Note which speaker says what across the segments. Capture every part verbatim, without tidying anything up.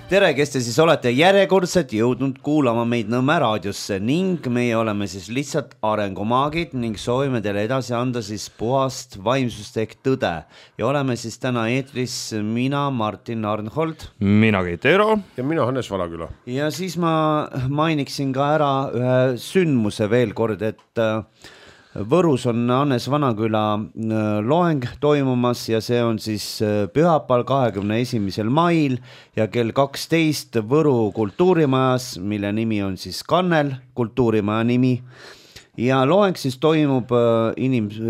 Speaker 1: tere, kes te siis olete järjekordselt jõudnud kuulama meid Nõmme raadiosse ning meie oleme siis lihtsalt arengumaagid ning soovime teile edasi anda siis puhast vaimsust ehk tõde. Ja oleme siis täna eetris mina, Martin Arnhold.
Speaker 2: Mina Keit Eero.
Speaker 3: Ja mina Hannes Valaküla.
Speaker 1: Ja siis ma mainiksin ka ära ühe sündmuse veel kord, et Võrus on Hannes Vanaküla loeng toimumas ja see on siis pühapäeval kahekümne esimesel mail ja kell kaksteist Võru kultuurimajas, mille nimi on siis Kannel, kultuurimaja nimi. Ja loeng siis toimub inims-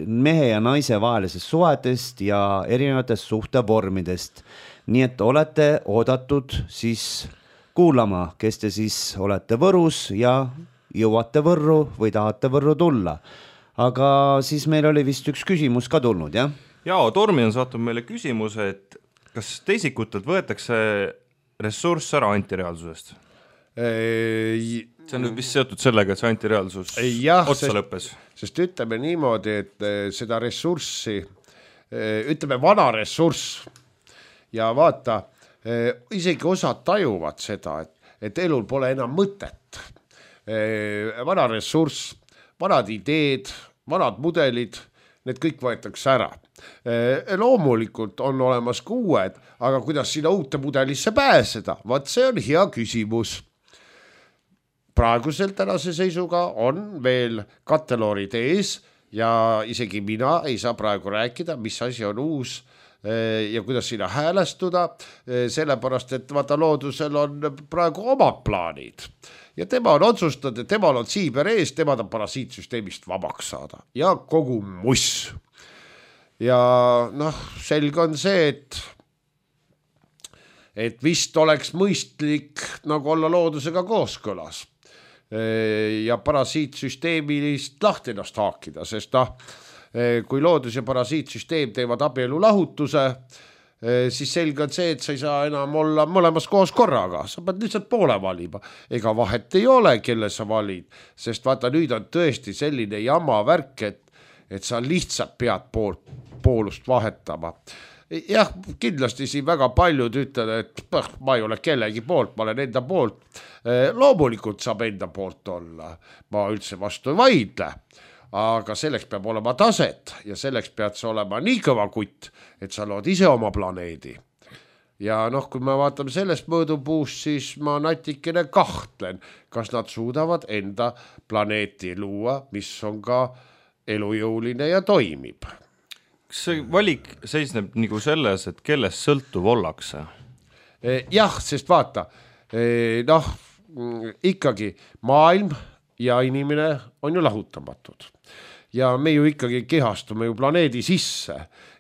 Speaker 1: mehe ja naise vahelisest suhetest ja erinevatest suhtevormidest. Nii et olete oodatud siis kuulama, kes te siis olete Võrus ja jõuate Võrru või tahate Võrru tulla. Aga siis meil oli vist üks küsimus ka tulnud, jah?
Speaker 2: Jaa, Tormi on saatnud meile küsimuse, et kas teisikutelt võetakse ressurss ära antireaalsusest?
Speaker 3: Ei,
Speaker 2: see on vist seotud sellega, et see antireaalsus
Speaker 3: jah,
Speaker 2: otsa
Speaker 3: sest,
Speaker 2: lõppes.
Speaker 3: Sest ütleme niimoodi, et seda ressurssi, ütleme vana ressurss ja vaata, isegi osad tajuvad seda, et, et elul pole enam mõtet. Vana ressurss, vanad ideed, vanad mudelid, need kõik võetakse ära. Loomulikult on olemas ka uued, aga kuidas sinna uute mudelisse pääseda? Vaat see on hea küsimus. Praegusel tänase seisuga on veel katteloorid ees ja isegi mina ei saa praegu rääkida, mis asi on uus ja kuidas sinna häälestuda, sellepärast, et vaata loodusel on praegu omad plaanid. Ja tema on otsustanud, et temal on siiber ees, tema on parasiitsüsteemist vabaks saada. Ja kogu muss. Ja noh, selge on see, et, et vist oleks mõistlik nagu olla loodusega kooskõlas. Ja parasiitsüsteemist lahti ennast haakida, sest noh, kui loodus ja parasiitsüsteem teevad abielu lahutuse, siis selge on see, et sa ei saa enam olla mõlemas koos korraga, sa pead lihtsalt poole valima. Ega vahet ei ole, kelle sa valid, sest vaata nüüd on tõesti selline jama värk, et, et sa lihtsalt pead poolt, poolust vahetama. Jah, kindlasti siin väga paljud ütlevad, et ma ei ole kellegi poolt, ma olen enda poolt. Loomulikult saab enda poolt olla, ma üldse vastu ei vaidle. Aga selleks peab olema taset ja selleks pead sa olema nii kõva kutt, et sa lood ise oma planeedi. Ja noh, kui me vaatame sellest mõõdupuust, siis ma natikene kahtlen, kas nad suudavad enda planeeti luua, mis on ka elujõuline ja toimib.
Speaker 2: Kas see valik seisneb nagu selles, et kellest sõltuv ollakse?
Speaker 3: Jah, sest vaata, noh, ikkagi maailm ja inimene on ju lahutamatud. Ja me ju ikkagi kehastume ju planeedi sisse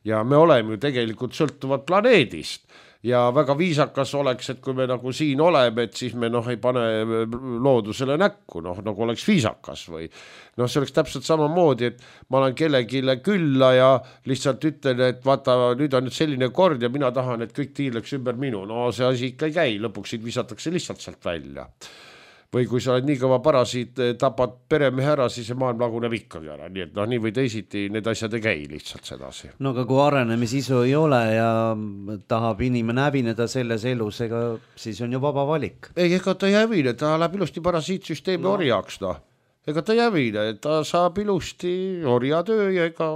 Speaker 3: ja me oleme ju tegelikult sõltuvad planeedist. Ja väga viisakas oleks, et kui me nagu siin oleme, et siis me noh ei pane loodusele näkku, noh nagu oleks viisakas või noh, see oleks täpselt samamoodi, et ma olen kellegile külla ja lihtsalt ütlen, et vaata, nüüd on nüüd selline kord ja mina tahan, et kõik tiirleks ümber minu. No see asi ikka ei käi, lõpuks visatakse lihtsalt sealt välja. Või kui sa oled nii kõva parasiit, tapad peremehe ära, siis see maailm laguneb ikkagi ära. Nii et noh, nii või teisiti need asjad ei käi lihtsalt sedasi.
Speaker 1: No aga kui arenemissisu ei ole ja tahab inimene hävineda selles elus, ega siis on ju vaba valik.
Speaker 3: Ei, ega ta ei hävine, ta läheb ilusti parasiitsüsteemi no. orjaks. No. Ega ta ei hävine, ta saab ilusti orjatöö ja ega...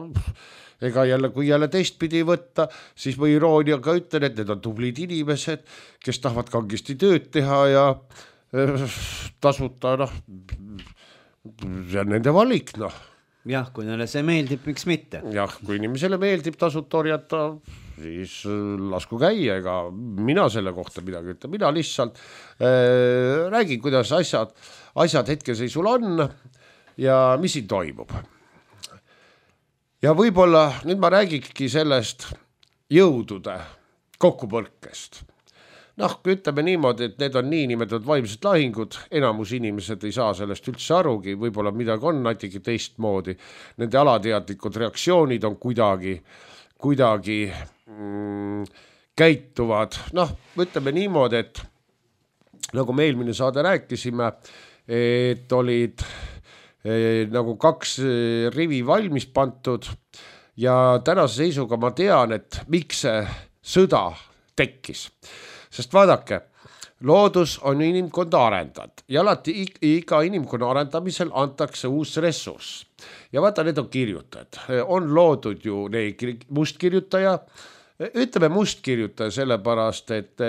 Speaker 3: Ega jälle, kui jälle teistpidi võtta, siis ma irooniaga ütlen, et need on tublid inimesed, kes tahavad kangesti tööd teha ja tasuta, noh, see on nende valik, noh.
Speaker 1: Jah, kui neile see meeldib, miks mitte?
Speaker 3: Jah, kui inimesele meeldib tasuta orjata, siis lasku käia, ega mina selle kohta midagi ütle. Mina lihtsalt äh, räägin, kuidas asjad, asjad hetkeseisul on ja mis siin toimub. Ja võib-olla nüüd ma räägikski sellest jõudude kokkupõrkest. Noh, kui ütleme niimoodi, et need on nii nimetatud vaimsed lahingud, enamus inimesed ei saa sellest üldse arugi, võib-olla midagi on natuke teistmoodi. Nende alateadlikud reaktsioonid on kuidagi, kuidagi mm, käituvad. Noh, ütleme niimoodi, et nagu me eelmine saade rääkisime, et olid nagu kaks rivi valmis pantud ja tänase seisuga ma tean, et miks see sõda tekkis. sest vaadake, loodus on inimkonda arendanud ja alati iga inimkonna arendamisel antakse uus ressurss. Ja vaata, need on kirjutajad. On loodud ju neegri, mustkirjutaja, ütleme mustkirjutaja sellepärast, et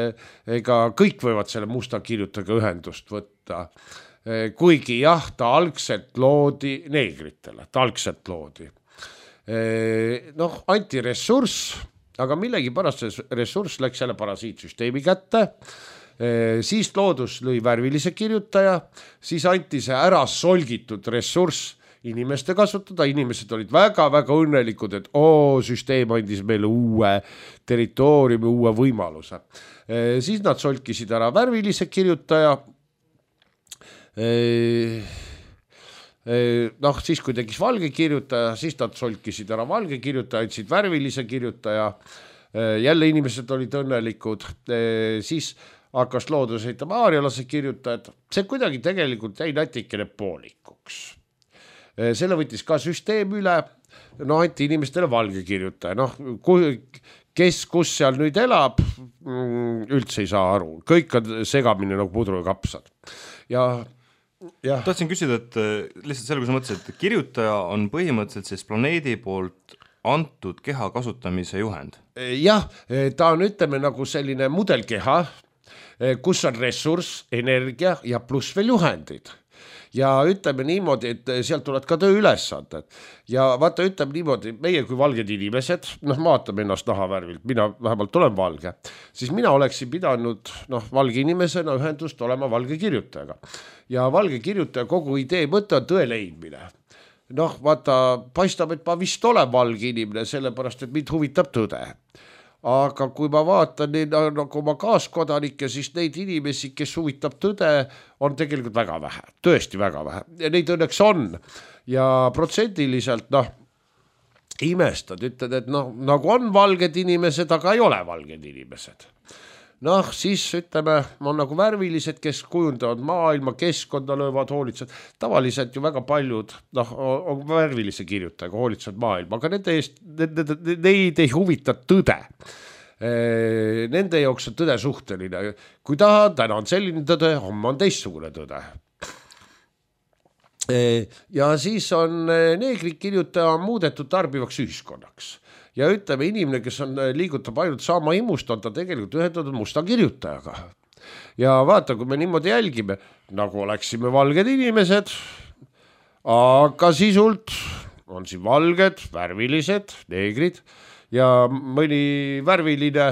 Speaker 3: ega kõik võivad selle musta kirjutajaga ühendust võtta. Kuigi jah, ta algselt loodi neegritele, ta algselt loodi. Noh, anti ressurss, aga millegi pärast see ressurss läks selle parasiitsüsteemi kätte, siis loodus lõi värvilise kirjutaja, siis anti see ära solgitud ressurss inimeste kasutada, inimesed olid väga-väga õnnelikud, et oo, süsteem andis meile uue territooriumi, uue võimaluse. Siis nad solkisid ära värvilise kirjutaja, noh, siis kui tegis valge kirjutaja, siis nad solkisid ära valge kirjutaja, andsid värvilise kirjutaja, jälle inimesed olid õnnelikud, siis hakkas loodus heitama aarialase kirjutajad, see kuidagi tegelikult jäi natikene poolikuks. Selle võttis ka süsteem üle, no anti inimestele valge kirjutaja, noh, kes, kus seal nüüd elab, üldse ei saa aru, kõik on segamine nagu pudru ja kapsad. Ja Ja.
Speaker 2: Tahtsin küsida, et lihtsalt selle, kui sa mõtlesid, et kirjutaja on põhimõtteliselt siis planeedi poolt antud keha kasutamise juhend.
Speaker 3: Jah, ta on, ütleme, nagu selline mudelkeha, kus on ressurss, energia ja pluss veel juhendid. Ja ütleme niimoodi, et sealt tulevad ka töö ülesanded. Ja vaata, ütleme niimoodi, meie kui valged inimesed, noh, vaatame ennast nahavärvilt, mina vähemalt olen valge, siis mina oleksin pidanud, noh, valge inimesena ühendust olema valge kirjutajaga. Ja valge kirjutaja kogu idee mõte on tõe leidmine. Noh, vaata, paistab, et ma vist olen valge inimene, sellepärast, et mind huvitab tõde. Aga kui ma vaatan nagu oma kaaskodanike, siis neid inimesi, kes huvitab tõde, on tegelikult väga vähe, tõesti väga vähe. Ja neid õnneks on. Ja protsendiliselt, noh, imestad, ütled, et noh, nagu on valged inimesed, aga ei ole valged inimesed. Noh, siis ütleme, on nagu värvilised, kes kujundavad maailma, keskkonda löövad, hoolitsed. Tavaliselt ju väga paljud, noh, on värvilise kirjutajaga hoolitsed maailma, aga nende eest, neid ei huvita tõde. Nende jaoks on tõde suhteline. Kui taha, täna on selline tõde, homme on teistsugune tõde. Ja siis on neegrid kirjutaja muudetud tarbivaks ühiskonnaks. Ja ütleme, inimene, kes on liigutab ainult saama imust, on ta tegelikult ühendatud musta kirjutajaga. Ja vaata, kui me niimoodi jälgime, nagu oleksime valged inimesed, aga sisult on siin valged, värvilised, neegrid ja mõni värviline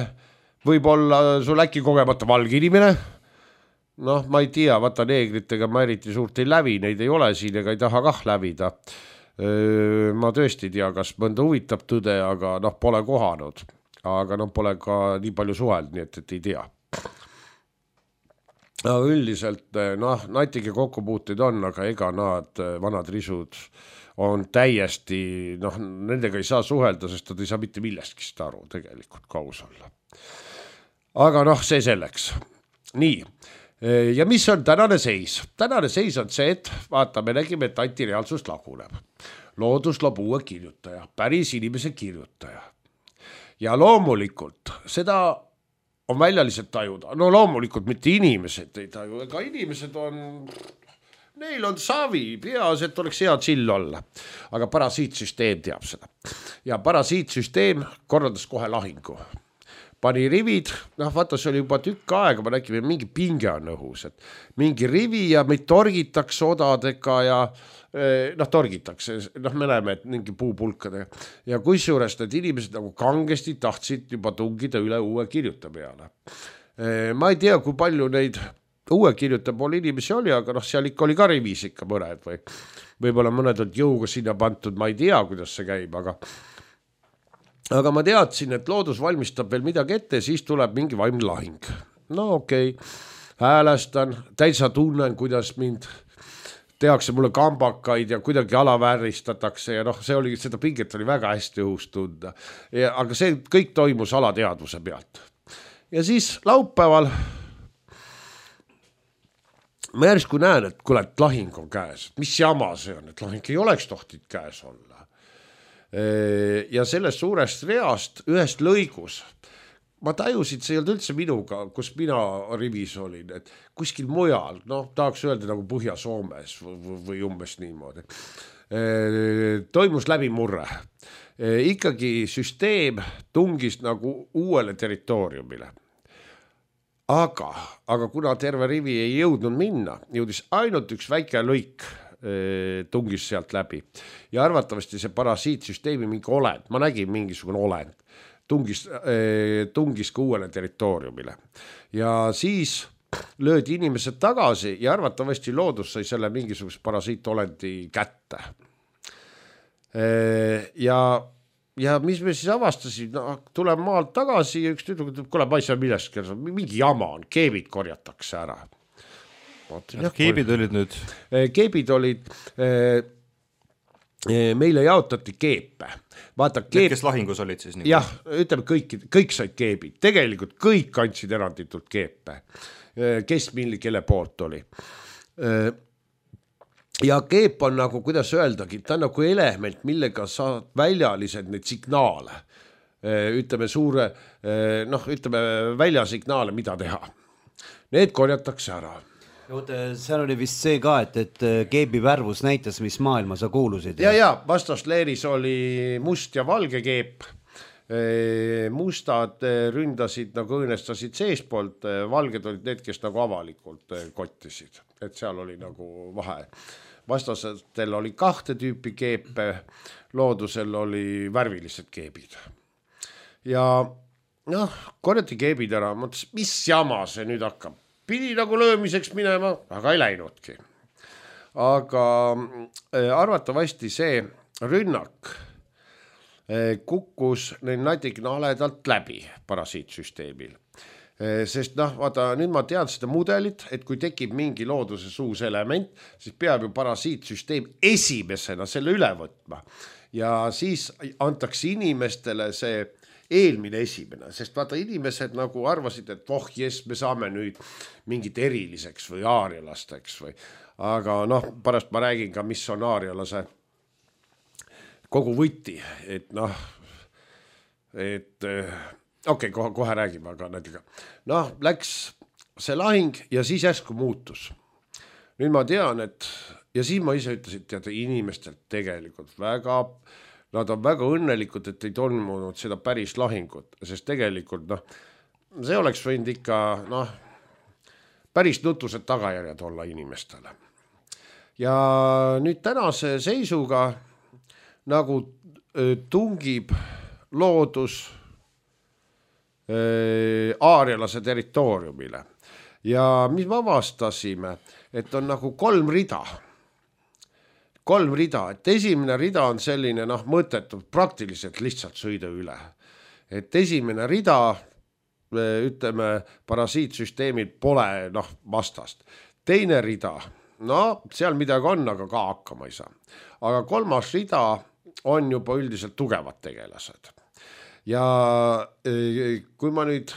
Speaker 3: võib olla sul äkki kogemata valge inimene. Noh, ma ei tea, vaata neegritega ma eriti suurt ei lävi, neid ei ole siin ega ei taha kah lävida. Ma tõesti tea, kas mõnda huvitab tõde, aga noh, pole kohanud. Aga noh, pole ka nii palju suheld, nii et, et ei tea. Aga üldiselt, noh, natike kokkupuuteid on, aga ega nad vanad risud on täiesti, noh, nendega ei saa suhelda, sest nad ei saa mitte millestki aru tegelikult kaus olla. Aga noh, see selleks. Nii. Ja mis on tänane seis? Tänane seis on see, et vaata, me nägime, et antireaalsus laguneb. Loodus loob uue kirjutaja, päris inimese kirjutaja. Ja loomulikult, seda on väljaliselt tajuda. No loomulikult mitte inimesed ei taju, ega inimesed on, neil on savi, peas, et oleks hea chill olla. Aga parasiitsüsteem teab seda. Ja parasiitsüsteem korraldas kohe lahingu. Pani rivid, noh vaata, see oli juba tükk aega, ma nägime, mingi pinge on õhus, et mingi rivi ja meid torgitakse odadega ja noh, torgitakse, noh me näeme, et mingi puupulkadega ja kusjuures need inimesed nagu kangesti tahtsid juba tungida üle uue kirjuta peale. Ma ei tea, kui palju neid uue kirjuta pool inimesi oli, aga noh, seal ikka oli ka rivis ikka mõned või võib-olla mõned on jõuga sinna pantud, ma ei tea, kuidas see käib, aga Aga ma teadsin, et loodus valmistab veel midagi ette, siis tuleb mingi vaimne lahing. No okei, okay. Häälestan, täitsa tunnen, kuidas mind tehakse mulle kambakaid ja kuidagi alavääristatakse ja noh, see oli, seda pinget oli väga hästi õhus tunda. Ja, aga see kõik toimus alateadvuse pealt. Ja siis laupäeval ma järsku näen, et kuule, et lahing on käes. Mis jama see on, et lahing ei oleks tohtid käes olla. Ja sellest suurest reast ühest lõigus ma tajusin, see ei olnud üldse minuga, kus mina rivis olin, et kuskil mujal, noh, tahaks öelda nagu Põhja-Soomes või, või umbes niimoodi. Toimus läbimurre. Ikkagi süsteem tungis nagu uuele territooriumile. Aga, aga kuna terve rivi ei jõudnud minna, jõudis ainult üks väike lõik tungis sealt läbi. Ja arvatavasti see parasiitsüsteemi mingi olend, ma nägin mingisugune olend, tungis, tungis ka uuele territooriumile. Ja siis löödi inimesed tagasi ja arvatavasti loodus sai selle mingisuguse parasiitolendi kätte. Ja, ja mis me siis avastasid, no, tuleb maalt tagasi ja üks tüdruk ütleb, kuule, ma ei saa millestki, mingi jama on, keebid korjatakse ära.
Speaker 2: Keebid olid nüüd?
Speaker 3: Keebid olid, meile jaotati keepe. Vaata, keep...
Speaker 2: Need, kes lahingus olid siis? Nii
Speaker 3: jah, ütleme kõik, kõik said keebid. Tegelikult kõik andsid eranditult keepe. Kes milli, kelle poolt oli. Ja keep on nagu, kuidas öeldagi, ta on nagu element, millega saad väljalised neid signaale. Ütleme suure, noh, ütleme väljasignaale, mida teha. Need korjatakse ära.
Speaker 1: Seal oli vist see ka, et, et keebi värvus näitas, mis maailma sa kuulusid.
Speaker 3: Ja, ja vastasleeris oli must ja valge keep. Mustad ründasid nagu õõnestasid seespoolt, valged olid need, kes nagu avalikult kottisid. Et seal oli nagu vahe. Vastastel oli kahte tüüpi keepe, loodusel oli värvilised keebid. Ja noh, korjati keebid ära, mõtles, mis jama see nüüd hakkab. Pidi nagu löömiseks minema, aga ei läinudki. Aga arvatavasti see rünnak kukkus neil natikene haledalt läbi parasiitsüsteemil. Sest noh, vaata, nüüd ma tean seda mudelit, et kui tekib mingi looduses uus element, siis peab ju parasiitsüsteem esimesena selle üle võtma. Ja siis antakse inimestele see eelmine esimene, sest vaata inimesed nagu arvasid, et voh, jes, me saame nüüd mingit eriliseks või aarialasteks või, aga noh, pärast ma räägin ka, mis on aarialase kogu võti, et noh, et okei, okay, kohe, kohe räägime, aga näitega, noh, läks see lahing ja siis järsku muutus. Nüüd ma tean, et ja siis ma ise ütlesin, teada inimestelt tegelikult väga nad on väga õnnelikud, et ei toimunud seda päris lahingut, sest tegelikult noh, see oleks võinud ikka noh, päris nutused tagajärjed olla inimestele. Ja nüüd tänase seisuga nagu tungib loodus aarialase territooriumile. Ja mis me avastasime, et on nagu kolm rida. Kolm rida, et esimene rida on selline noh, mõttetud, praktiliselt lihtsalt sõida üle. Et esimene rida, ütleme, parasiitsüsteemil pole noh, vastast. Teine rida, no seal midagi on, aga ka hakkama ei saa. Aga kolmas rida on juba üldiselt tugevad tegelased. Ja kui ma nüüd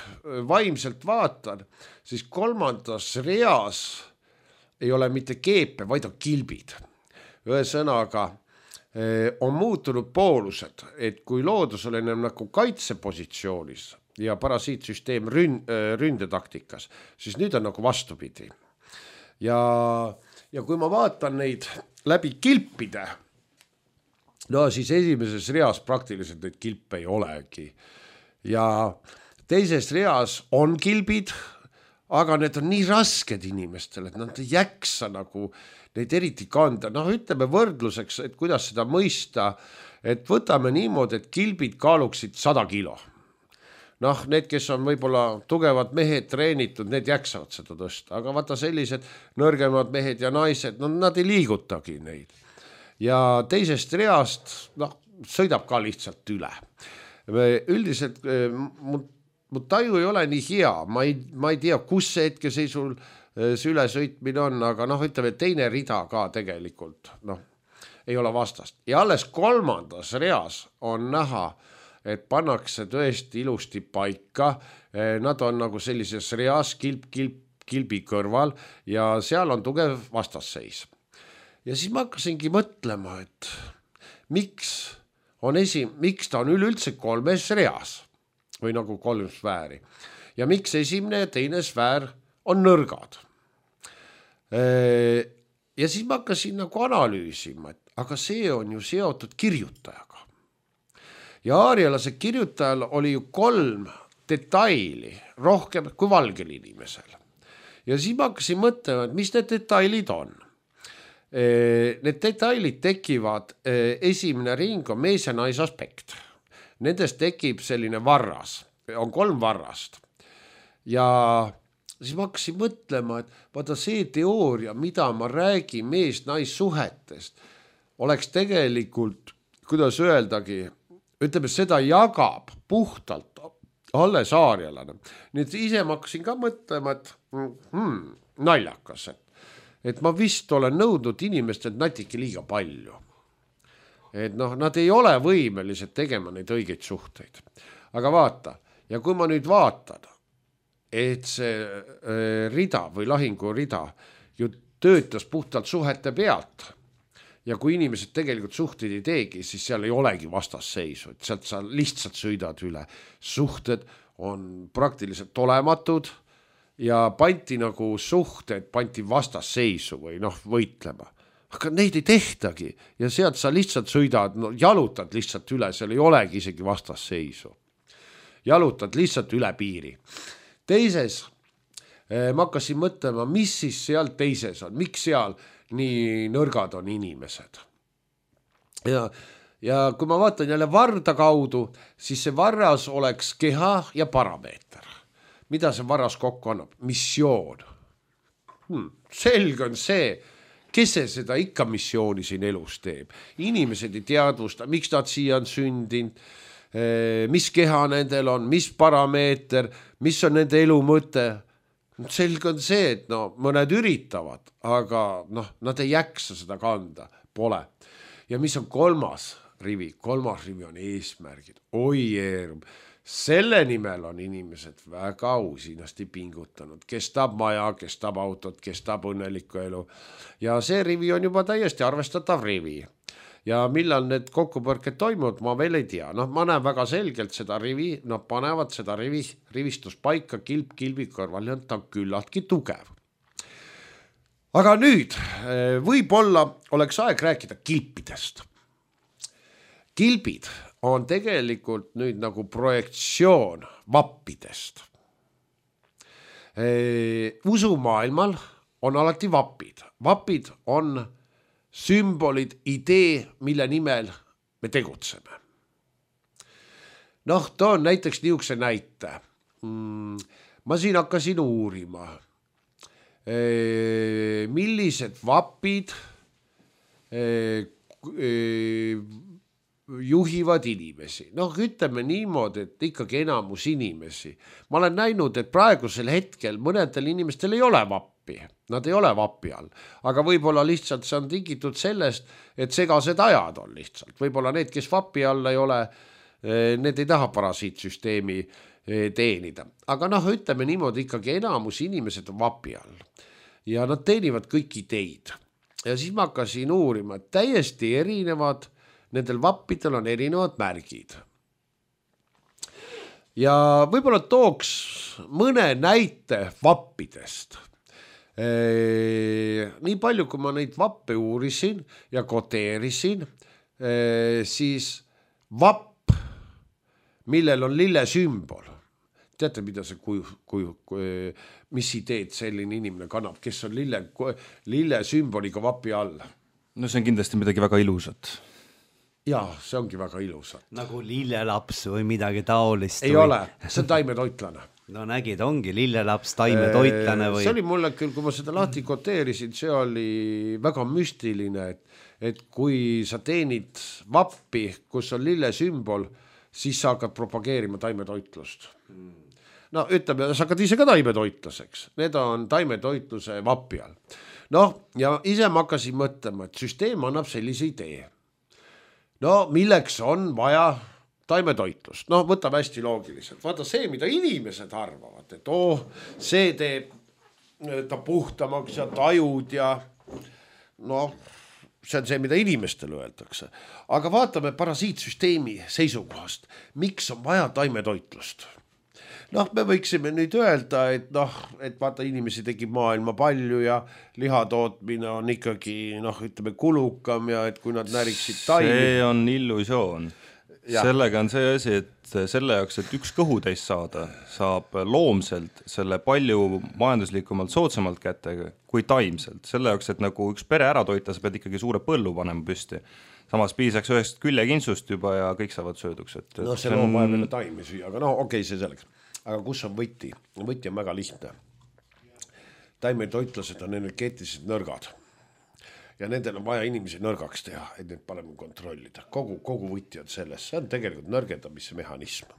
Speaker 3: vaimselt vaatan, siis kolmandas reas ei ole mitte keepe, vaid on kilbid. Ühesõnaga on muutunud poolused, et kui loodus on ennem nagu kaitsepositsioonis ja parasiitsüsteem ründ, ründetaktikas, siis nüüd on nagu vastupidi. Ja, ja kui ma vaatan neid läbi kilpide, no siis esimeses reas praktiliselt neid kilpe ei olegi. Ja teises reas on kilbid, aga need on nii rasked inimestele, et nad ei jaksa nagu neid eriti kanda. Noh, ütleme võrdluseks, et kuidas seda mõista, et võtame niimoodi, et kilbid kaaluksid sada kilo. Noh, need, kes on võib-olla tugevad mehed treenitud, need jaksavad seda tõsta, aga vaata sellised nõrgemad mehed ja naised, no nad ei liigutagi neid. Ja teisest reast, noh, sõidab ka lihtsalt üle. Üldiselt mu, mu taju ei ole nii hea, ma ei, ma ei tea, kus see hetke seisul see ülesõitmine on, aga noh, ütleme, teine rida ka tegelikult, noh, ei ole vastast. Ja alles kolmandas reas on näha, et pannakse tõesti ilusti paika, nad on nagu sellises reas kilp, kilp, kilbi kõrval ja seal on tugev vastasseis. Ja siis ma hakkasingi mõtlema, et miks, on esi, miks ta on üleüldse kolmes reas. või nagu kolm sfääri. Ja miks esimene ja teine sfäär on nõrgad. Ja siis ma hakkasin nagu analüüsima, et aga see on ju seotud kirjutajaga. Ja aarialase kirjutajal oli ju kolm detaili rohkem kui valgel inimesel. Ja siis ma hakkasin mõtlema, et mis need detailid on. Need detailid tekivad, esimene ring on mees ja naisaspekt. Nendest tekib selline varras, on kolm varrast. Ja siis ma hakkasin mõtlema, et vaata see teooria, mida ma räägin mees-naissuhetest, oleks tegelikult, kuidas öeldagi, ütleme, seda jagab puhtalt alles aarialane. Nii et ise ma hakkasin ka mõtlema, et hmm, naljakas, et, et ma vist olen nõudnud inimestelt natuke liiga palju. Et noh, nad ei ole võimelised tegema neid õigeid suhteid. Aga vaata, ja kui ma nüüd vaatan, et see rida või lahingu rida ju töötas puhtalt suhete pealt ja kui inimesed tegelikult suhteid ei teegi, siis seal ei olegi vastasseisu, et sealt sa lihtsalt sõidad üle. Suhted on praktiliselt olematud ja panti nagu suhted, panti vastasseisu või noh, võitlema. Aga neid ei tehtagi ja sealt sa lihtsalt sõidad, no, jalutad lihtsalt üle, seal ei olegi isegi vastasseisu. Jalutad lihtsalt üle piiri. Teises ma hakkasin mõtlema, mis siis seal teises on, miks seal nii nõrgad on inimesed. Ja, ja kui ma vaatan jälle varda kaudu, siis see varras oleks keha ja parameeter. Mida see varras kokku annab? Missioon. Hmm, selge on see, kes see seda ikka missiooni siin elus teeb. Inimesed ei teadvusta, miks nad siia on sündinud, mis keha nendel on, mis parameeter, mis on nende elu mõte. Selge on see, et no, mõned üritavad, aga noh, nad ei jaksa seda kanda, pole. Ja mis on kolmas rivi? Kolmas rivi on eesmärgid. Oi eerum, selle nimel on inimesed väga usinasti pingutanud. Kes tahab maja, kes tahab autot, kes tahab õnnelikku elu. Ja see rivi on juba täiesti arvestatav rivi. Ja millal need kokkupõrked toimuvad, ma veel ei tea. Noh, ma näen väga selgelt seda rivi, nad panevad seda rivi, rivistuspaika kilp kilbi kõrval ja ta on küllaltki tugev. Aga nüüd võib-olla oleks aeg rääkida kilpidest. Kilbid on tegelikult nüüd nagu projektsioon vappidest. Usumaailmal on alati vapid. Vapid on sümbolid, idee, mille nimel me tegutseme. Noh, toon näiteks niisuguse näite. Ma siin hakkasin uurima, millised vapid juhivad inimesi. Noh, ütleme niimoodi, et ikkagi enamus inimesi. Ma olen näinud, et praegusel hetkel mõnedel inimestel ei ole vappi. Nad ei ole vapi all, aga võib-olla lihtsalt see on tingitud sellest, et segased ajad on lihtsalt. Võib-olla need, kes vapi all ei ole, need ei taha parasiitsüsteemi teenida. Aga noh, ütleme niimoodi, ikkagi enamus inimesed on vapi all ja nad teenivad kõik ideid. Ja siis ma hakkasin uurima, et täiesti erinevad, nendel vappidel on erinevad märgid. Ja võib-olla tooks mõne näite vappidest. Ee, nii palju, kui ma neid vappe uurisin ja koteerisin, ee, siis vapp, millel on lille sümbol. Teate, mida see kuju, kuju, kuju, mis ideed selline inimene kannab, kes on lille, lille sümboliga vapi all?
Speaker 2: No see on kindlasti midagi väga ilusat.
Speaker 3: Jaa, see ongi väga ilusat.
Speaker 1: Nagu lillelaps või midagi taolist.
Speaker 3: Ei
Speaker 1: või...
Speaker 3: ole, see on taimetoitlane.
Speaker 1: No nägid, ongi lillelaps, taimetoitlane või...
Speaker 3: See oli mulle küll, kui ma seda lahti koteerisin, see oli väga müstiline, et, et kui sa teenid vappi, kus on lille sümbol, siis sa hakkad propageerima taimetoitlust. No ütleme, sa hakkad ise ka taimetoitlaseks. Need on taimetoitluse vapi all. Noh, ja ise ma hakkasin mõtlema, et süsteem annab sellise idee. No milleks on vaja taimetoitlust? No võtab hästi loogiliselt. Vaata see, mida inimesed arvavad, et oh, see teeb ta puhtamaks ja tajud ja noh, see on see, mida inimestele öeldakse. Aga vaatame parasiitsüsteemi seisukohast. Miks on vaja taimetoitlust? Noh, me võiksime nüüd öelda, et noh, et vaata inimesi tegib maailma palju ja lihatootmine on ikkagi, noh, ütleme kulukam ja et kui nad näriksid taimi.
Speaker 2: See on illusioon. Ja. Sellega on see asi, et selle jaoks, et üks kõhutäis saada, saab loomselt selle palju majanduslikumalt soodsamalt kätte kui taimselt. Selle jaoks, et nagu üks pere ära toita, sa pead ikkagi suure põllu panema püsti. Samas piisaks ühest küljekinsust juba ja kõik saavad sööduks. Et
Speaker 3: no see loom vaja veel taimi süüa, aga no okei, okay, see selleks. Aga kus on võti? Võti on väga lihtne. Taimetoitlased on energeetilised nõrgad. Ja nendel on vaja inimesi nõrgaks teha, et need paremini kontrollida. Kogu, kogu võti on selles. See on tegelikult nõrgendamise mehhanism.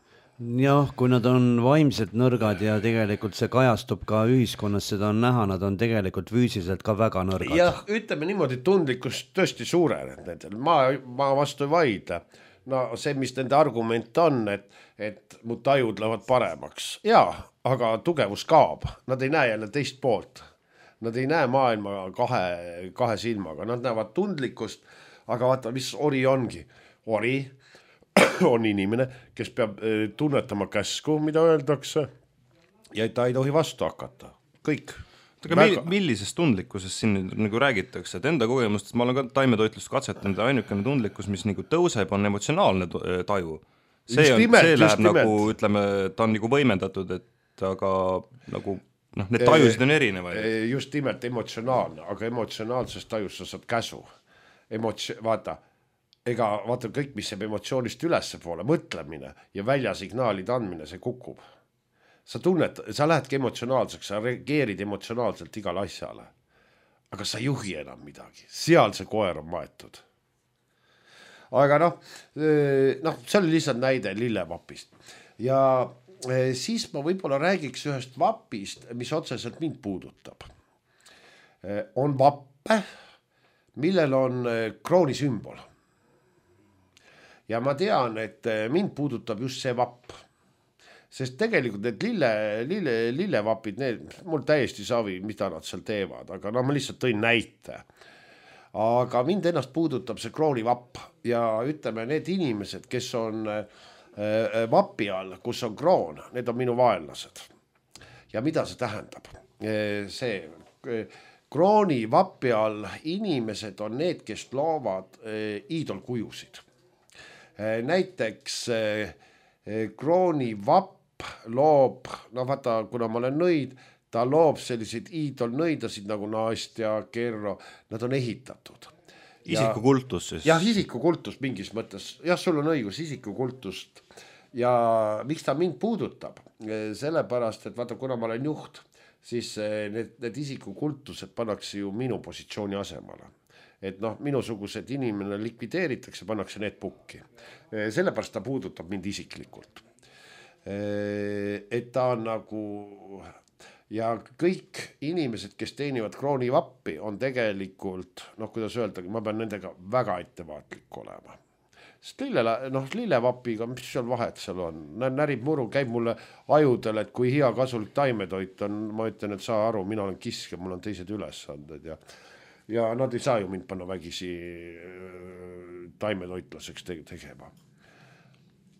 Speaker 1: Jah, kui nad on vaimselt nõrgad ja tegelikult see kajastub ka ühiskonnas, seda on näha, nad on tegelikult füüsiliselt ka väga nõrgad.
Speaker 3: Jah, ütleme niimoodi, tundlikkus tõesti suureneb nendel. Ma, ma vastu ei vaida. No see, mis nende argument on, et, et mu tajud lähevad paremaks. Jaa, aga tugevus kaob. Nad ei näe jälle teist poolt. Nad ei näe maailma kahe, kahe silmaga. Nad näevad tundlikkust, aga vaata, mis ori ongi. Ori on inimene, kes peab tunnetama käsku, mida öeldakse, ja ta ei tohi vastu hakata. Kõik.
Speaker 2: Aga millisest tundlikkusest siin nagu räägitakse, et enda kogemust, ma olen ka taimetoitlust katsetanud ja ainukene tundlikkus, mis nagu tõuseb, on emotsionaalne taju. See, on,
Speaker 3: nimelt,
Speaker 2: see läheb nagu, ütleme, ta on nagu võimendatud, et aga nagu, noh, need tajusid on erinevaid.
Speaker 3: Just nimelt emotsionaalne, aga emotsionaalsest tajust sa saad käsu. Emotsi-, vaata, ega vaata kõik, mis jääb emotsioonist ülesse poole, mõtlemine ja väljasignaalide andmine, see kukub. Sa tunned, sa lähedki emotsionaalseks, sa reageerid emotsionaalselt igale asjale. Aga sa ei juhi enam midagi. Seal see koer on maetud. Aga noh, noh, see oli lihtsalt näide lillevapist. Ja siis ma võib-olla räägiks ühest vapist, mis otseselt mind puudutab. On vappe, millel on krooni sümbol. Ja ma tean, et mind puudutab just see vapp. Sest tegelikult need lille, lille, lillevapid, need, mul täiesti savi, mida nad seal teevad, aga no ma lihtsalt tõin näite. Aga mind ennast puudutab see kroonivapp ja ütleme, need inimesed, kes on vapi all, kus on kroon, need on minu vaenlased. Ja mida see tähendab? See krooni vapi all inimesed on need, kes loovad iidolkujusid. Näiteks krooni vapp loob, no vaata, kuna ma olen nõid, ta loob selliseid iidolnõidasid nagu Nastja, Kerro, nad on ehitatud.
Speaker 2: Isikukultus siis?
Speaker 3: Jah, isikukultus mingis mõttes. Jah, sul on õigus, isikukultust. Ja miks ta mind puudutab? Sellepärast, et vaata, kuna ma olen juht, siis need, need isikukultused pannakse ju minu positsiooni asemale. Et noh, minusugused inimene likvideeritakse, pannakse need pukki. Sellepärast ta puudutab mind isiklikult. Et ta on nagu ja kõik inimesed, kes teenivad kroonivappi, on tegelikult, noh, kuidas öeldagi, ma pean nendega väga ettevaatlik olema. Sest lille, noh, lillevapiga, mis seal vahet seal on? Närib muru, käib mulle ajudel, et kui hea kasulik taimetoit on, ma ütlen, et saa aru, mina olen kisk ja mul on teised ülesanded ja, ja nad ei saa ju mind panna vägisi taimetoitlaseks tegema.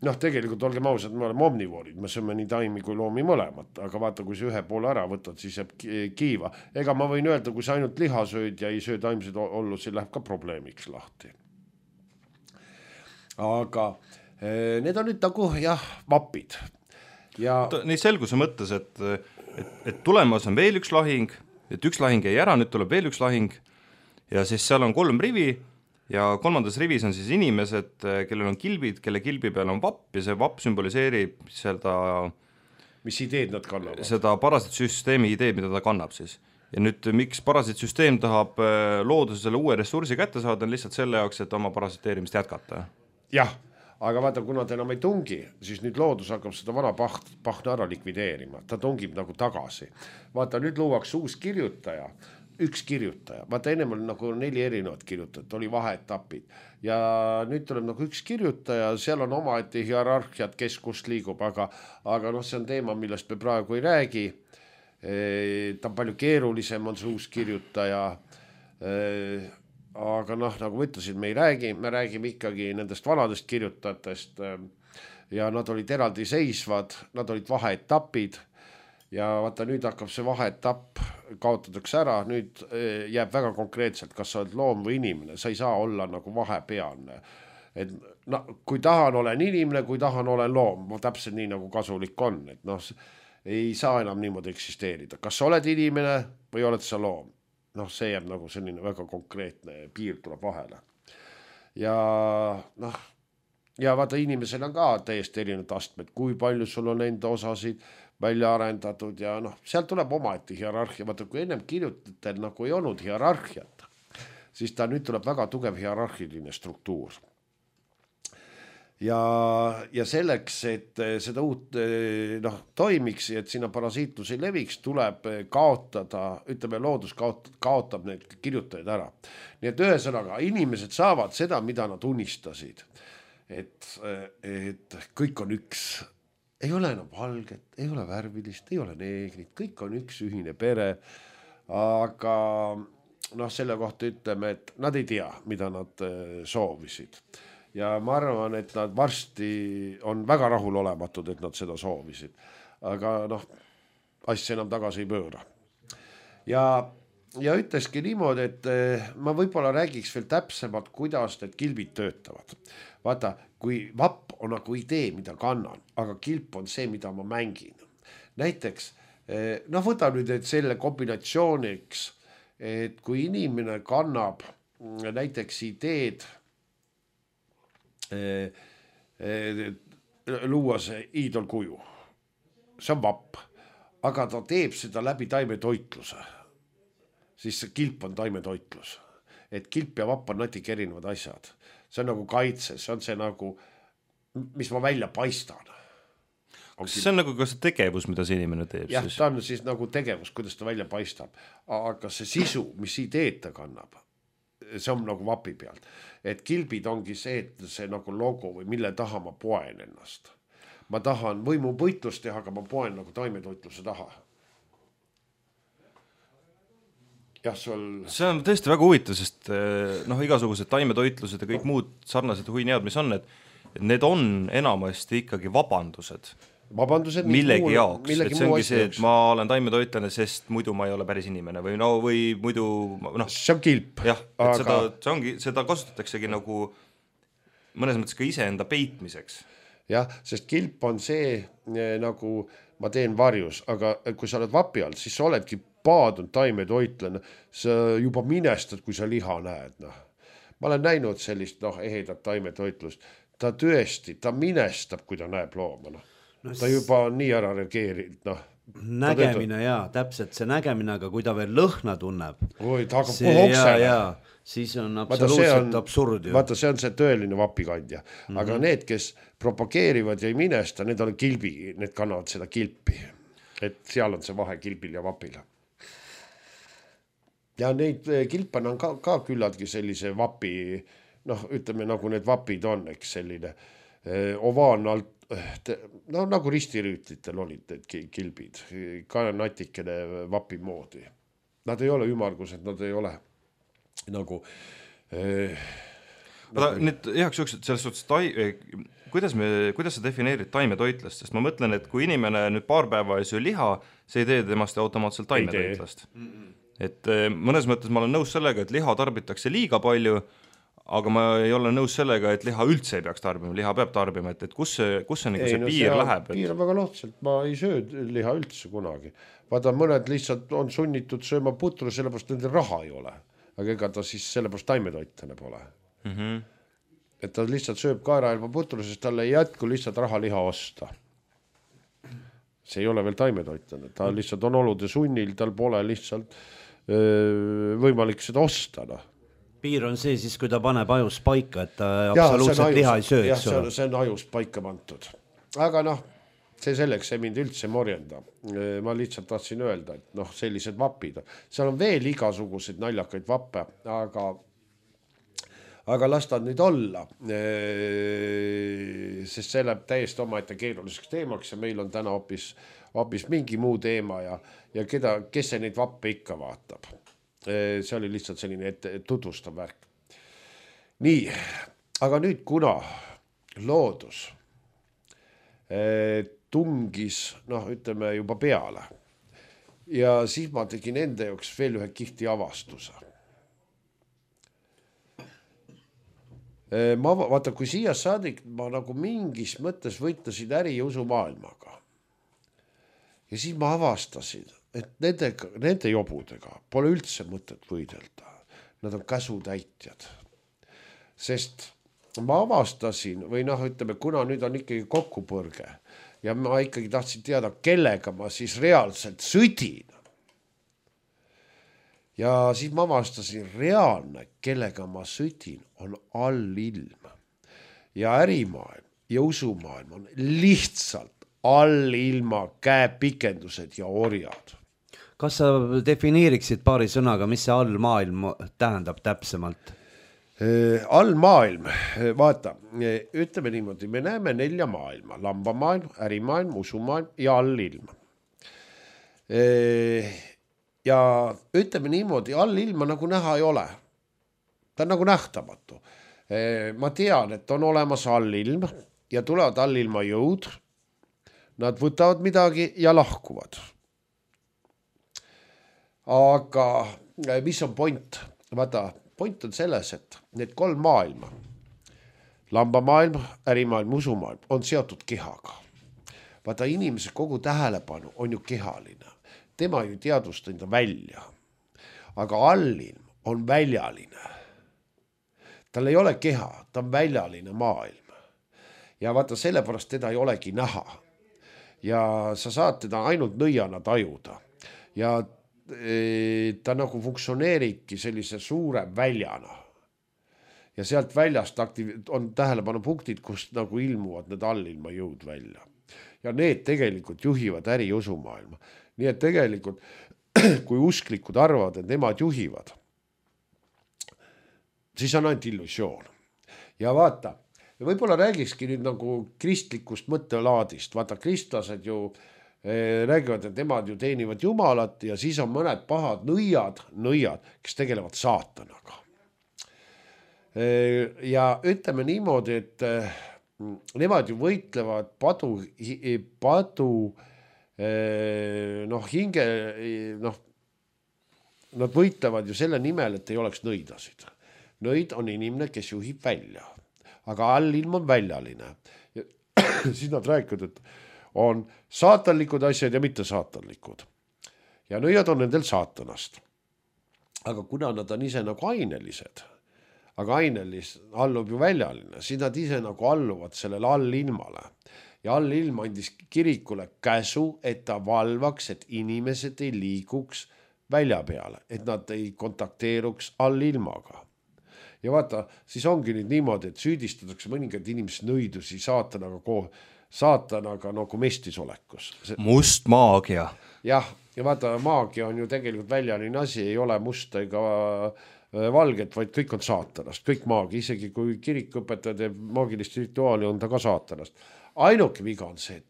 Speaker 3: Noh, tegelikult olgem ausad, me oleme omnivoorid, me sööme nii taimi kui loomi mõlemat, aga vaata, kui see ühe poole ära võtad, siis jääb kiiva. Ega ma võin öelda, kui sa ainult liha sööd ja ei söö taimseid ollusi, läheb ka probleemiks lahti. Aga need on nüüd nagu, jah, vapid. Ja...
Speaker 2: Nii selguse mõttes, et, et, et tulemas on veel üks lahing, et üks lahing jäi ära, nüüd tuleb veel üks lahing ja siis seal on kolm rivi ja kolmandas rivis on siis inimesed, kellel on kilbid, kelle kilbi peal on vapp ja see vapp sümboliseerib seda,
Speaker 3: mis ideed nad kannavad?
Speaker 2: Seda parasitsüsteemi ideed, mida ta kannab siis. Ja nüüd miks parasitsüsteem tahab loodusele uue ressursi kätte saada, on lihtsalt selle jaoks, et oma parasiteerimist jätkata.
Speaker 3: Jah, aga vaata, kuna ta enam ei tungi, siis nüüd loodus hakkab seda vana paht, pahna ära likvideerima. Ta tungib nagu tagasi. Vaata, nüüd luuaks uus kirjutaja. Üks kirjutaja, vaata ennem oli nagu neli erinevat kirjutajat, oli vaheetapid ja nüüd tuleb nagu üks kirjutaja, seal on omaette hierarhiat, kes kust liigub, aga, aga noh, see on teema, millest me praegu ei räägi. Ta on palju keerulisem, on see uus kirjutaja, aga noh, nagu ma ütlesin, me ei räägi, me räägime ikkagi nendest vanadest kirjutajatest ja nad olid eraldi seisvad, nad olid vaheetapid ja vaata nüüd hakkab see vaheetapp, kaotatakse ära, nüüd jääb väga konkreetselt, kas sa oled loom või inimene, sa ei saa olla nagu vahepealne. Et no, kui tahan olen inimene, kui tahan olen loom, täpselt nii nagu kasulik on, et noh, ei saa enam niimoodi eksisteerida. Kas sa oled inimene või oled sa loom? Noh, see jääb nagu selline väga konkreetne piir tuleb vahele. Ja noh, ja vaata inimesel on ka täiesti erinevad astmed, kui palju sul on enda osasid välja arendatud ja noh, sealt tuleb omaette hierarhia. Vaata, kui ennem kirjutatel nagu ei olnud hierarhiat, siis ta nüüd tuleb väga tugev hierarhiline struktuur. Ja, ja selleks, et seda uut noh, toimiks ja et sinna parasiitlus ei leviks, tuleb kaotada, ütleme loodus kaotab, kaotab need kirjutajad ära. Nii et ühesõnaga, inimesed saavad seda, mida nad unistasid. Et, et kõik on üks, ei ole enam valget, ei ole värvilist, ei ole neegrit, kõik on üks ühine pere, aga noh, selle kohta ütleme, et nad ei tea, mida nad soovisid. Ja ma arvan, et nad varsti on väga rahul olematud, et nad seda soovisid. Aga noh, asja enam tagasi ei pööra. Ja, ja ütleski niimoodi, et ma võib-olla räägiks veel täpsemalt, kuidas need kilbid töötavad. Vaata, kui vapp on nagu idee, mida kannan, aga kilp on see, mida ma mängin. Näiteks, noh võta nüüd et selle kombinatsiooniks, et kui inimene kannab näiteks ideed, E, e, luua see iidolkuju, see on vapp, aga ta teeb seda läbi taimetoitluse, siis see kilp on taimetoitlus, et kilp ja vapp on natuke erinevad asjad, see on nagu kaitse, see on see nagu, mis ma välja paistan.
Speaker 2: See on nagu ka see tegevus, mida see inimene teeb?
Speaker 3: Jah, ta on siis nagu tegevus, kuidas ta välja paistab, aga see sisu, mis ideed ta kannab, see on nagu vapi pealt, et kilbid ongi see, et see nagu logo või mille taha ma poen ennast. Ma tahan võimu võitlust teha, aga ma poen nagu taimetoitluse taha. Jah, sul...
Speaker 2: See on tõesti väga huvitav, sest noh, igasugused taimetoitlused ja kõik muud sarnased huinead, mis on, et need on enamasti ikkagi vabandused.
Speaker 3: Vabandused
Speaker 2: millegi muu, jaoks, millegi et see ongi see, et ma olen taimetoitlane, sest muidu ma ei ole päris inimene või no või muidu noh,
Speaker 3: see on kilp.
Speaker 2: Jah, et aga... seda, see ongi, seda kasutataksegi nagu mõnes mõttes ka iseenda peitmiseks.
Speaker 3: Jah, sest kilp on see nagu ma teen varjus, aga kui sa oled vapi all, siis sa oledki paadunud taimetoitlane, sa juba minestad, kui sa liha näed. Noh. Ma olen näinud sellist noh, ehedat taimetoitlust, ta tõesti, ta minestab, kui ta näeb looma, noh. No, ta juba on nii ära reageerinud, noh.
Speaker 1: Nägemine jaa, täpselt see nägemine, aga kui ta veel lõhna tunneb,
Speaker 3: Oi, ta hakkab kohoksele.
Speaker 1: Siis on absoluutselt on, absurd.
Speaker 3: Vaata, see on see tõeline vapikandja. Mm-hmm. Aga need, kes propageerivad ja ei minesta, need on kilbi, need kannavad seda kilpi. Et seal on see vahe kilbil ja vapil. Ja neid kilpan on ka, ka küllaltki sellise vapi, noh, ütleme nagu need vapid on, eks selline ovaalne alt, no nagu ristirüütlitel olid need kilbid, ka natikene vapi moodi. Nad ei ole ümargused, nad ei ole nagu eh,
Speaker 2: aga nagu... nüüd heaks juks, et selles suhtes tai... kuidas, me, kuidas sa defineerid taimetoitlast, sest ma mõtlen, et kui inimene nüüd paar päeva ei söö liha, see ei tee temast automaatselt taimetoitlast. Et mõnes mõttes ma olen nõus sellega, et liha tarbitakse liiga palju, aga ma ei ole nõus sellega, et liha üldse ei peaks tarbima, liha peab tarbima, et, et kus see, kus see, ei, see no, piir see läheb?
Speaker 3: Piir on väga lohtselt, ma ei söö liha üldse kunagi. Vaata, mõned lihtsalt on sunnitud sööma putru, sellepärast nendel raha ei ole. Aga ega ta siis sellepärast taimetoitlane pole. Mm-hmm. Et ta lihtsalt sööb kaeraelva putru, sest talle ei jätku lihtsalt raha liha osta. See ei ole veel taimetoitlane, ta lihtsalt on olude sunnil, tal pole lihtsalt öö, võimalik seda osta, noh.
Speaker 1: Piir on see siis, kui ta paneb ajus paika, et ta ja, absoluutselt liha ei söö.
Speaker 3: Jah, see on, see on ajus paika pantud. Aga noh, see selleks ei mind üldse morjenda. Ma lihtsalt tahtsin öelda, et noh, sellised vapid. Seal on veel igasuguseid naljakaid vappe, aga, aga lastad nüüd olla. Sest see läheb täiesti omaette keeruliseks teemaks ja meil on täna hoopis, hoopis mingi muu teema ja, ja keda, kes see neid vappe ikka vaatab. see oli lihtsalt selline ette tutvustav värk. Nii, aga nüüd kuna loodus tungis, noh, ütleme juba peale ja siis ma tegin enda jaoks veel ühe kihti avastuse. Ma vaata, kui siia saadik ma nagu mingis mõttes võitlesin äri ja usumaailmaga ja siis ma avastasin, et nende, nende jobudega pole üldse mõtet võidelda. Nad on käsutäitjad. Sest ma avastasin, või noh, ütleme, kuna nüüd on ikkagi kokkupõrge ja ma ikkagi tahtsin teada, kellega ma siis reaalselt sõdin. Ja siis ma avastasin, reaalne, kellega ma sõdin, on allilm. Ja ärimaailm ja usumaailm on lihtsalt allilma käepikendused ja orjad.
Speaker 1: Kas sa defineeriksid paari sõnaga, mis see allmaailm tähendab täpsemalt?
Speaker 3: Allmaailm, vaata, ütleme niimoodi, me näeme nelja maailma, lambamaailm, ärimaailm, usumaailm ja allilm. Ja ütleme niimoodi, allilma nagu näha ei ole. Ta on nagu nähtamatu. Ma tean, et on olemas allilm ja tulevad allilma jõud. Nad võtavad midagi ja lahkuvad. Aga mis on point? Vaata, point on selles, et need kolm maailma, lambamaailm, ärimaailm, usumaailm, on seotud kehaga. Vaata, inimese kogu tähelepanu on ju kehaline. Tema ju teadvust enda välja. Aga allilm on väljaline. Tal ei ole keha, ta on väljaline maailm. Ja vaata, sellepärast teda ei olegi näha. Ja sa saad teda ainult nõiana tajuda. Ja ta nagu funktsioneeribki sellise suure väljana. Ja sealt väljast on tähelepanu punktid, kust nagu ilmuvad need allilma jõud välja. Ja need tegelikult juhivad äri usumaailma. Nii et tegelikult, kui usklikud arvavad, et nemad juhivad, siis on ainult illusioon. Ja vaata, võib-olla räägikski nüüd nagu kristlikust mõttelaadist. Vaata, kristlased ju räägivad, et nemad ju teenivad Jumalat ja siis on mõned pahad nõiad, nõiad, kes tegelevad saatanaga. Ja ütleme niimoodi, et nemad ju võitlevad padu, padu noh, hinge, noh, nad võitlevad ju selle nimel, et ei oleks nõidasid. Nõid on inimene, kes juhib välja, aga allilm on väljaline. Ja siis nad räägivad, et on saatanlikud asjad ja mitte saatanlikud. Ja nõiad on nendel saatanast. Aga kuna nad on ise nagu ainelised, aga ainelis allub ju väljaline, siis nad ise nagu alluvad sellele allilmale. Ja allilm andis kirikule käsu, et ta valvaks, et inimesed ei liiguks välja peale, et nad ei kontakteeruks allilmaga. Ja vaata, siis ongi nüüd niimoodi, et süüdistatakse mõningad inimesed nõidusi saatanaga koos, saatanaga nagu mestisolekus.
Speaker 2: Must maagia.
Speaker 3: Jah, ja vaata, maagia on ju tegelikult väljaline asi, ei ole musta ega valget, vaid kõik on saatanast, kõik maagia, isegi kui kirik õpetajad ja maagilist rituaali on ta ka saatanast. Ainuke viga on see, et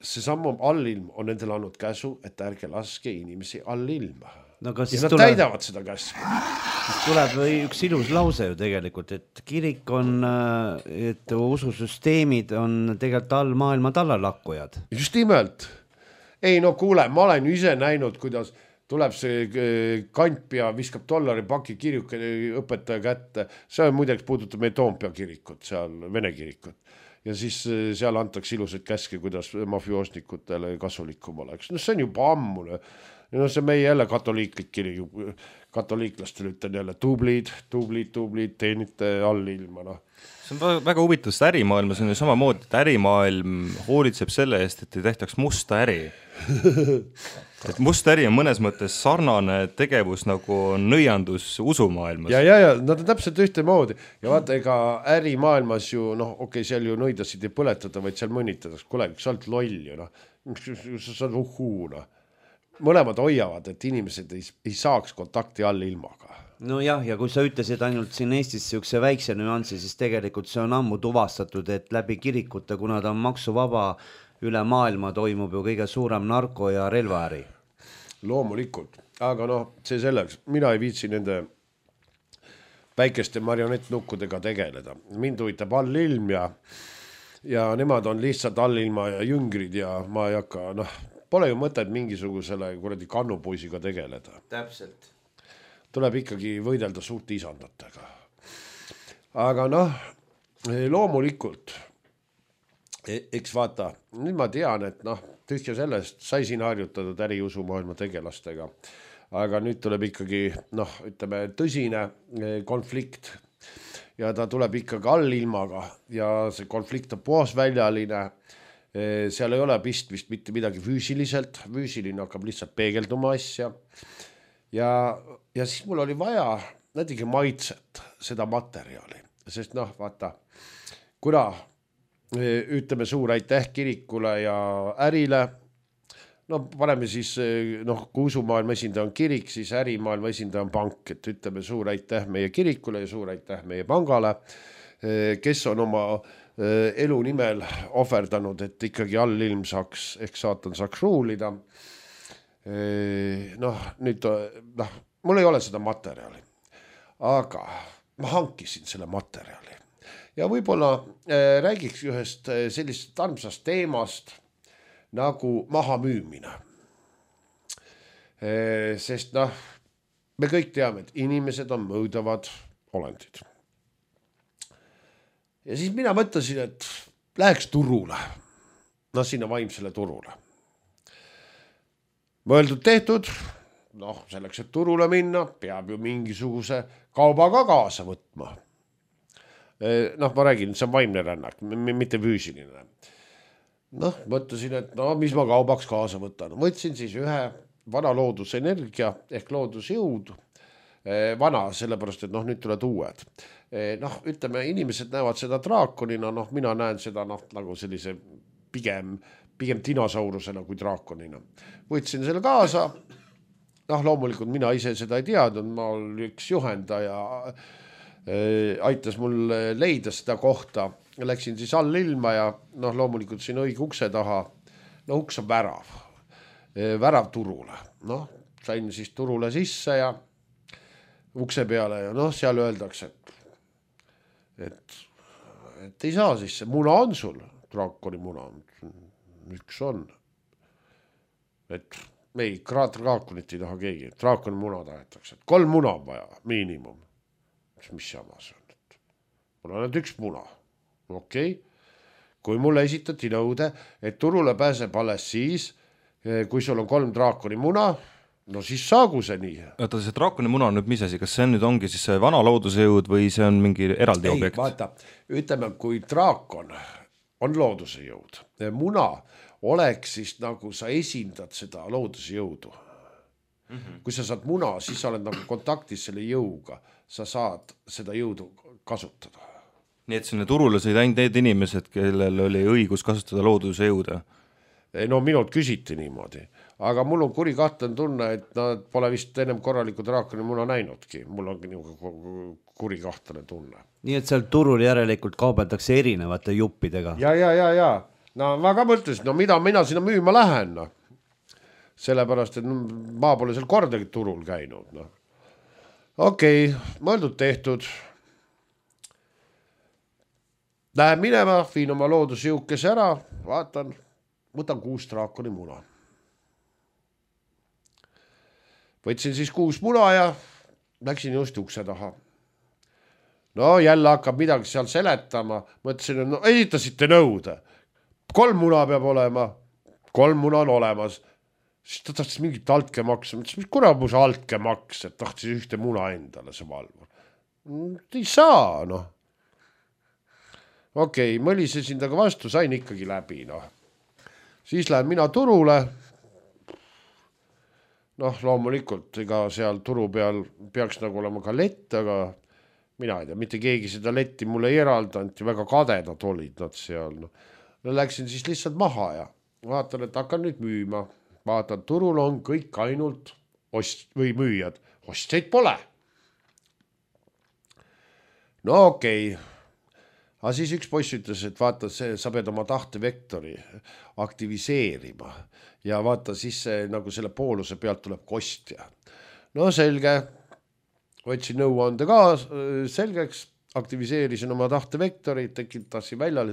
Speaker 3: see samm allilm on nendel andnud käsu, et ärge laske inimesi allilma. No, ja nad tuleb, täidavad seda käsku.
Speaker 1: Tuleb üks ilus lause ju tegelikult, et kirik on, et ususüsteemid on tegelikult all maailma tallalakkujad.
Speaker 3: Just nimelt. Ei, no kuule, ma olen ise näinud, kuidas tuleb see kant ja viskab dollari paki kirjuke õpetaja kätte. See on muideks puudutab meie Toompea kirikut, seal Vene kirikut. Ja siis seal antakse ilusad käske, kuidas mafioosnikutele kasulikum oleks. No see on juba ammune. No see meie jälle katoliiklik kiri, katoliiklastele ütlen jälle tublid, tublid, tublid, teenite allilma. No.
Speaker 2: See on väga huvitav, sest ärimaailmas on ju samamoodi, et ärimaailm hoolitseb selle eest, et ei tehtaks musta äri. Et must äri on mõnes mõttes sarnane tegevus nagu nõiandus usumaailmas.
Speaker 3: Ja, ja, ja nad on täpselt ühte moodi. Ja vaata, ega ärimaailmas ju, noh, okei, okay, seal ju nõidasid ei põletada, vaid seal mõnitadaks. Kuule, sa oled loll ju, noh. Sa oled uhuu, noh. Mõlemad hoiavad, et inimesed ei, ei saaks kontakti all ilmaga.
Speaker 1: No jah, ja kui sa ütlesid ainult siin Eestis siukse väikse nüansi, siis tegelikult see on ammu tuvastatud, et läbi kirikute, kuna ta on maksuvaba üle maailma, toimub ju kõige suurem narko- ja relvaäri.
Speaker 3: loomulikult, aga noh, see selleks, mina ei viitsi nende väikeste marionettnukkudega tegeleda. Mind huvitab allilm ja, ja nemad on lihtsalt allilma ja jüngrid ja ma ei hakka, noh, pole ju mõtet mingisugusele kuradi kannupuisiga tegeleda.
Speaker 1: Täpselt.
Speaker 3: Tuleb ikkagi võidelda suurte isandatega. Aga noh, loomulikult, eks vaata, nüüd ma tean, et noh, tühja sellest sai siin harjutatud äriusumaailma tegelastega. Aga nüüd tuleb ikkagi, noh, ütleme, tõsine konflikt ja ta tuleb ikkagi allilmaga ja see konflikt on puhasväljaline. Seal ei ole pistmist mitte midagi füüsiliselt, füüsiline hakkab lihtsalt peegelduma asja. Ja, ja siis mul oli vaja natuke maitset seda materjali, sest noh, vaata, kuna ütleme suur aitäh kirikule ja ärile, no paneme siis, noh, kui usumaailma esindaja on kirik, siis ärimaailma esindaja on pank, et ütleme suur aitäh meie kirikule ja suur aitäh meie pangale, kes on oma elu nimel ohverdanud, et ikkagi allilm saaks, ehk saatan saaks ruulida. Noh, nüüd, noh, mul ei ole seda materjali, aga ma hankisin selle materjali ja võib-olla räägiks ühest sellisest armsast teemast, nagu maha müümine. Sest noh, me kõik teame, et inimesed on mõõdavad olendid. Ja siis mina mõtlesin, et läheks turule. No sinna vaimsele turule. Mõeldud tehtud, noh, selleks, et turule minna, peab ju mingisuguse kaubaga kaasa võtma. Noh, ma räägin, see on vaimne rännak, mitte füüsiline. Noh, mõtlesin, et no, mis ma kaubaks kaasa võtan. Võtsin siis ühe vana loodusenergia ehk loodusjõud. Vana, sellepärast, et noh, nüüd tuled uued. Noh, ütleme, inimesed näevad seda draakonina, noh, mina näen seda noh, nagu sellise pigem, pigem dinosaurusena kui draakonina. Võtsin selle kaasa. Noh, loomulikult mina ise seda ei teadnud, ma oli üks juhendaja, aitas mul leida seda kohta. Läksin siis all ilma ja noh, loomulikult siin õige ukse taha, no uks on värav, värav turule. Noh, sain siis turule sisse ja ukse peale ja noh, seal öeldakse, et, et, et ei saa sisse, muna on sul, draakoni muna, üks on. Et ei, draakonit ei taha keegi, draakoni muna tahetakse, et kolm muna on vaja, miinimum. Mis jama see on? Mul on üks muna. Okei, okay. Kui mulle esitati nõude, et turule pääseb alles siis, kui sul on kolm draakoni muna, no siis saagu see nii.
Speaker 2: Oota, see draakoni muna on nüüd mis asi, kas see nüüd ongi siis see vana loodusejõud või see on mingi eraldi
Speaker 3: ei,
Speaker 2: objekt?
Speaker 3: Vaata, ütleme, kui draakon on loodusejõud, muna oleks siis nagu sa esindad seda loodusejõudu. Mm-hmm. Kui sa saad muna, siis sa oled nagu kontaktis selle jõuga, sa saad seda jõudu kasutada.
Speaker 2: Nii et sinne turule sõid ainult need inimesed, kellel oli õigus kasutada looduse jõuda?
Speaker 3: No minult küsiti niimoodi, aga mul on kuri kahtlane tunne, et nad pole vist ennem korraliku draakoni muna näinudki. Mul ongi kuri kahtlane tunne.
Speaker 1: Nii et seal turul järelikult kaubeldakse erinevate juppidega?
Speaker 3: Ja, ja, ja, ja. No ma ka mõtlesin, no mida mina sinna müüma lähen, no. Sellepärast, et ma pole seal kordagi turul käinud, no. Okei, okay, mõeldud tehtud. Lähen minema, viin oma loodusjõukese ära, vaatan, võtan kuus draakoni muna. Võtsin siis kuus muna ja läksin just ukse taha. No jälle hakkab midagi seal seletama, mõtlesin, et no esitasite nõude. Kolm muna peab olema, kolm muna on olemas. Siis ta tahtis mingit altkemaksa, mõtlesin, mis kuna mu see altkemaks, et tahtis ühte muna endale see valvur. Ei saa, noh. Okei, okay, mõlisesin taga vastu, sain ikkagi läbi, noh. Siis lähen mina turule. Noh, loomulikult, ega seal turu peal peaks nagu olema ka lett, aga mina ei tea, mitte keegi seda letti mulle ei eraldanud ja väga kadedad olid nad seal. No. Läksin siis lihtsalt maha ja vaatan, et hakkan nüüd müüma. Vaatan, turul on kõik ainult ost- või müüjad. Ostjaid pole. No okei. Okay. aga siis üks poiss ütles, et vaata, see, sa pead oma tahtevektori aktiviseerima ja vaata, siis see, nagu selle pooluse pealt tuleb kostja. No selge, võtsin nõuande ka selgeks, aktiviseerisin oma tahtevektori, tekitasin välja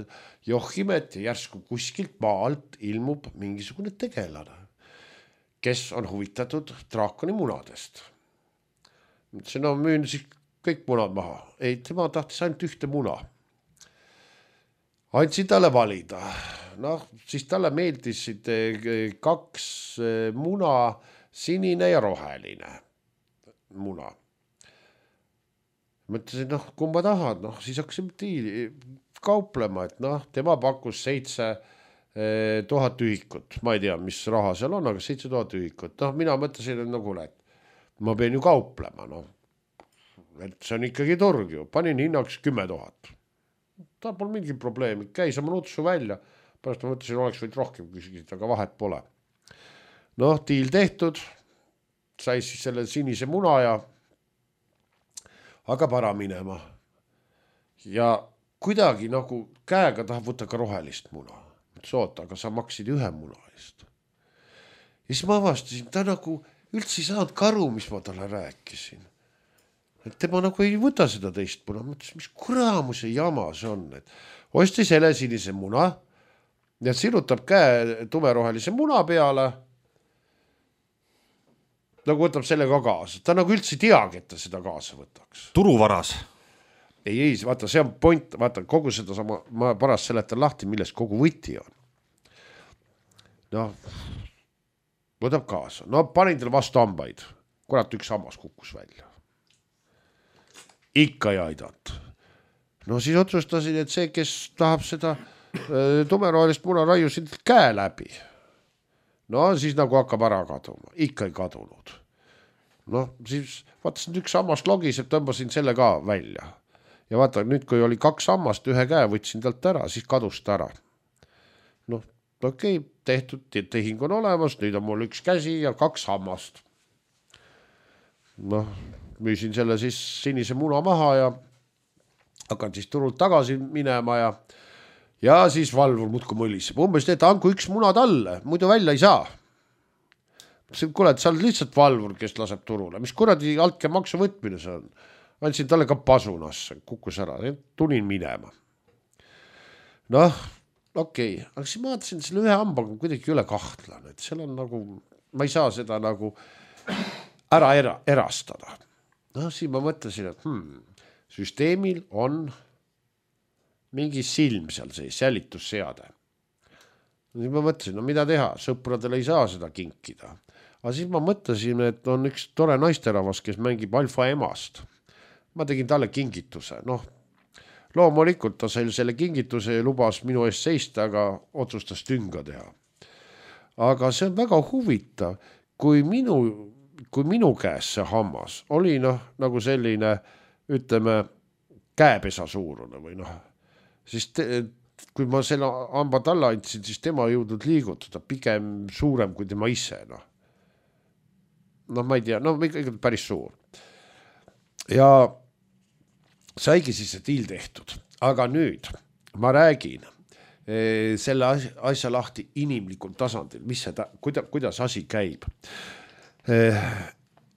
Speaker 3: johimet ja järsku kuskilt maalt ilmub mingisugune tegelane, kes on huvitatud draakoni munadest. Mõtlesin, no müün siis kõik munad maha. Ei, tema tahtis ainult ühte muna. Andsin talle valida. Noh, siis talle meeldisid kaks muna, sinine ja roheline muna. Mõtlesin, noh, kumba tahad, noh, siis hakkasime tiili kauplema, et noh, tema pakkus seitse tuhat ühikut. Ma ei tea, mis raha seal on, aga seitse tuhat ühikut. Noh, mina mõtlesin, et nagu, et ma pean ju kauplema, noh. Et see on ikkagi turg ju. Panin hinnaks kümme tuhat. Ta pole mingi probleemi. Käis oma nutsu välja. Pärast ma mõtlesin, oleks võid rohkem küsida, aga vahet pole. Noh, tiil tehtud. Sai siis selle sinise muna ja hakkab ära minema. Ja kuidagi nagu käega tahab võtta ka rohelist muna. Soota, aga sa maksid ühe muna eest. Ja siis ma avastasin, ta nagu üldse ei saanud karu, mis ma talle rääkisin. Et tema nagu ei võta seda teist muna. Mõtlesin, mis kuramuse jama see on. Et ostis hele sinise muna ja sirutab käe tumerohelise muna peale. Nagu võtab selle ka kaasa. Ta nagu üldse ei teagi, et ta seda kaasa võtaks.
Speaker 2: Turuvaras.
Speaker 3: Ei, ei, vaata, see on point. Vaata, kogu seda sama, ma parast seletan lahti, milles kogu võti on. Noh, võtab kaasa. No panin teile vastu hambaid. Kurat, üks hammas kukkus välja. Ikka ei aidata. No siis otsustasin, et see, kes tahab seda tumerohelist muna raiusid käe läbi. No siis nagu hakkab ära kaduma. Ikka ei kadunud. No siis vaatasin, üks hammast logis, et tõmbasin selle ka välja. Ja vaata, nüüd kui oli kaks hammast, ühe käe võtsin talt ära, siis kadus ta ära. Noh, okei, okay, tehtud, tehing on olemas, nüüd on mul üks käsi ja kaks hammast. Noh, müüsin selle siis sinise muna maha ja hakkan siis turult tagasi minema ja ja siis valvur muudku mõliseb. Umbes teed, anku üks muna talle, muidu välja ei saa. Kuule, et sa oled lihtsalt valvur, kes laseb turule. Mis kuradi altke maksu võtmine see on? Andsin talle ka pasunasse, kukkus ära, tunin minema. Noh, okei, okay. Aga siis ma vaatasin, selle ühe hambaga kuidagi üle kahtlan, et seal on nagu, ma ei saa seda nagu ära era, erastada. No siis ma mõtlesin, et hmm, süsteemil on mingi silm seal sees, sälitusseade. Siis ma mõtlesin, no mida teha, sõpradele ei saa seda kinkida. Aga siis ma mõtlesin, et on üks tore naisteravas, kes mängib alfa emast. Ma tegin talle kingituse, noh, loomulikult ta sai selle kingituse ja lubas minu eest seista, aga otsustas tünga teha. Aga see on väga huvitav, kui minu kui minu käes see hammas oli noh, nagu selline, ütleme, käepesa suurune või noh, siis te, kui ma selle hamba talle andsin, siis tema jõudnud liigutada pigem suurem kui tema ise, noh. Noh, ma ei tea, no ikka päris suur. Ja saigi siis see tiil tehtud, aga nüüd ma räägin selle asja lahti inimlikul tasandil, mis see ta, kuida, kuidas asi käib.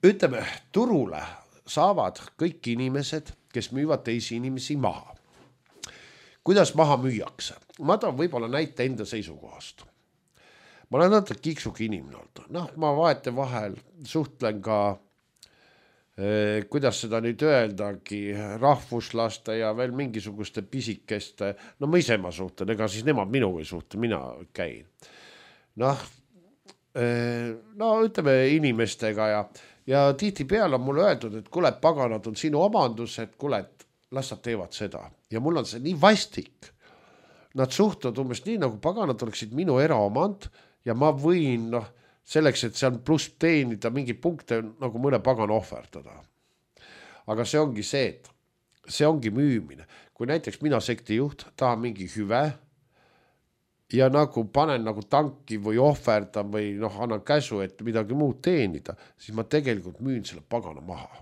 Speaker 3: Ütleme, turule saavad kõik inimesed, kes müüvad teisi inimesi maha. Kuidas maha müüakse? Ma tahan võib-olla näite enda seisukohast. Ma olen natuke kiksuki inimene olnud. Noh, ma vaete vahel suhtlen ka, eh, kuidas seda nüüd öeldagi, rahvuslaste ja veel mingisuguste pisikeste, no ma ise ma suhtlen, ega siis nemad minuga ei suhtle, mina käin. Noh, no ütleme inimestega ja, ja tihti peale on mulle öeldud, et kuule, paganad on sinu omandus, et kuule, et las nad teevad seda. Ja mul on see nii vastik. Nad suhtuvad umbes nii, nagu paganad oleksid minu eraomand ja ma võin noh, selleks, et see on pluss teenida mingi punkte nagu mõne pagana ohverdada. Aga see ongi see, et see ongi müümine. Kui näiteks mina sekti juht tahan mingi hüve, ja nagu panen nagu tanki või ohverdan või noh, annan käsu, et midagi muud teenida, siis ma tegelikult müün selle pagana maha.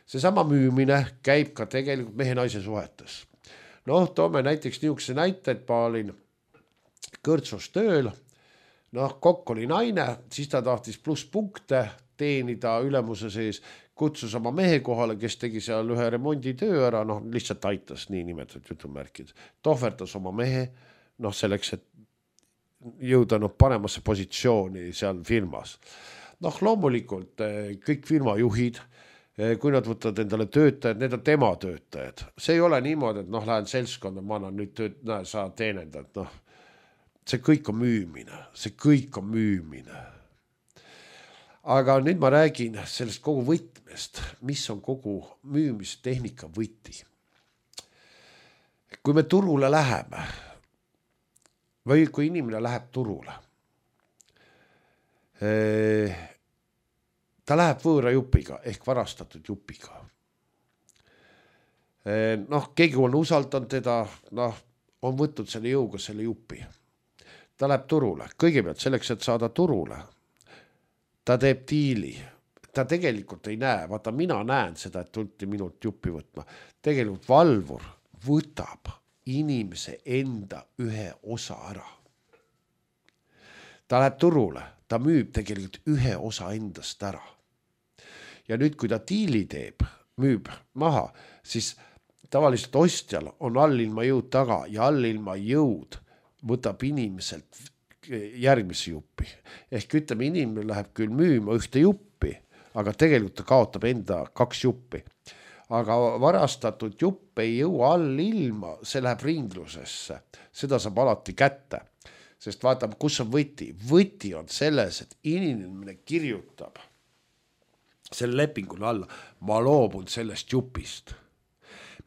Speaker 3: See sama müümine käib ka tegelikult mehe naise suhetes. noh, toome näiteks niisuguse näite, et ma olin Kõrtsus tööl, noh, kokk oli naine, siis ta tahtis plusspunkte teenida ülemuse sees, kutsus oma mehe kohale, kes tegi seal ühe remonditöö ära, noh, lihtsalt aitas nii nimetatud jutumärkid, tohverdas oma mehe, noh, selleks, et jõuda noh, paremasse positsiooni seal firmas. Noh, loomulikult kõik firmajuhid, kui nad võtavad endale töötajad, need on tema töötajad. See ei ole niimoodi, et noh, lähen seltskonda, ma annan nüüd tööd, näe, sa teenendad, noh, see kõik on müümine, see kõik on müümine. Aga nüüd ma räägin sellest kogu võtmest, mis on kogu müümistehnika võti. Kui me turule läheme või kui inimene läheb turule, ta läheb võõra jupiga ehk varastatud jupiga. Noh, keegi on usaldanud teda, noh, on võtnud selle jõuga selle jupi. Ta läheb turule, kõigepealt selleks, et saada turule. Ta teeb diili, ta tegelikult ei näe, vaata mina näen seda, et tulti minult jupi võtma. Tegelikult valvur võtab inimese enda ühe osa ära. Ta läheb turule, ta müüb tegelikult ühe osa endast ära. Ja nüüd, kui ta diili teeb, müüb maha, siis tavaliselt ostjal on allilma jõud taga ja allilma jõud võtab inimeselt järgmise juppi. Ehk ütleme, inimene läheb küll müüma ühte juppi, aga tegelikult ta kaotab enda kaks juppi. Aga varastatud jupp ei jõua all ilma, see läheb ringlusesse. Seda saab alati kätte. Sest vaatame, kus on võti. Võti on selles, et inimene kirjutab selle lepingule alla. Ma loobun sellest jupist.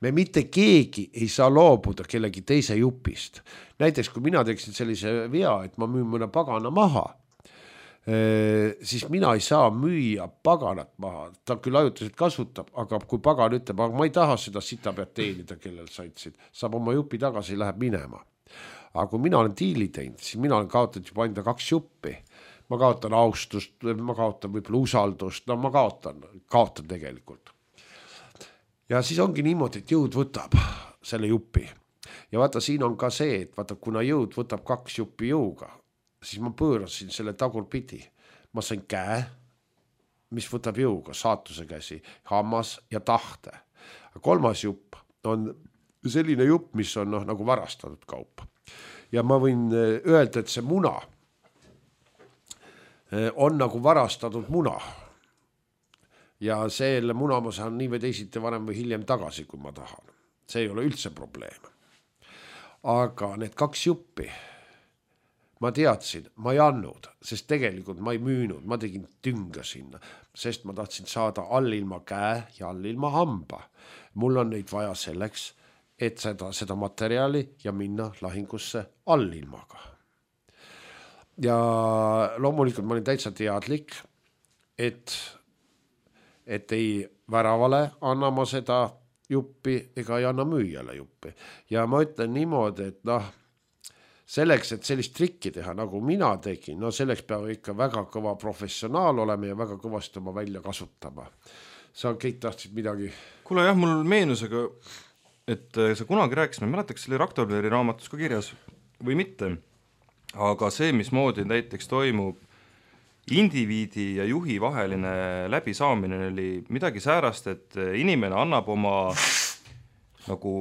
Speaker 3: Me mitte keegi ei saa loobuda kellegi teise jupist. Näiteks, kui mina teeksin sellise vea, et ma müün mõne pagana maha, siis mina ei saa müüa paganat maha. Ta küll ajutiselt kasutab, aga kui pagan ütleb, aga ma ei taha seda sita pead teenida, kellel saitsid, saab oma jupi tagasi ja läheb minema. Aga kui mina olen diili teinud, siis mina olen kaotanud juba enda kaks juppi. Ma kaotan austust, ma kaotan võib-olla usaldust, no ma kaotan, kaotan tegelikult. Ja siis ongi niimoodi, et jõud võtab selle jupi. Ja vaata, siin on ka see, et vaata, kuna jõud võtab kaks jupi jõuga, siis ma pöörasin selle tagurpidi. Ma sain käe, mis võtab jõuga, saatuse käsi, hammas ja tahte. Kolmas jupp on selline jupp, mis on noh, nagu varastatud kaup. Ja ma võin öelda, et see muna on nagu varastatud muna. Ja selle muna ma saan nii või teisiti varem või hiljem tagasi, kui ma tahan. See ei ole üldse probleem. Aga need kaks juppi ma teadsin, ma ei andnud, sest tegelikult ma ei müünud, ma tegin tünga sinna, sest ma tahtsin saada allilma käe ja allilma hamba. Mul on neid vaja selleks, et seda, seda materjali ja minna lahingusse allilmaga. Ja loomulikult ma olin täitsa teadlik, et, et ei väravale anna ma seda juppi ega ei anna müüjale juppi. Ja ma ütlen niimoodi, et noh, selleks, et sellist trikki teha, nagu mina tegin, no selleks peab ikka väga kõva professionaal olema ja väga kõvasti oma välja kasutama. Sa kõik tahtsid midagi?
Speaker 2: Kuule jah, mul meenusega, et sa kunagi rääkisid, ma mäletaks, see oli Raktobleri raamatus ka kirjas või mitte, aga see, mismoodi näiteks toimub indiviidi ja juhi vaheline läbisaamine oli midagi säärast, et inimene annab oma nagu,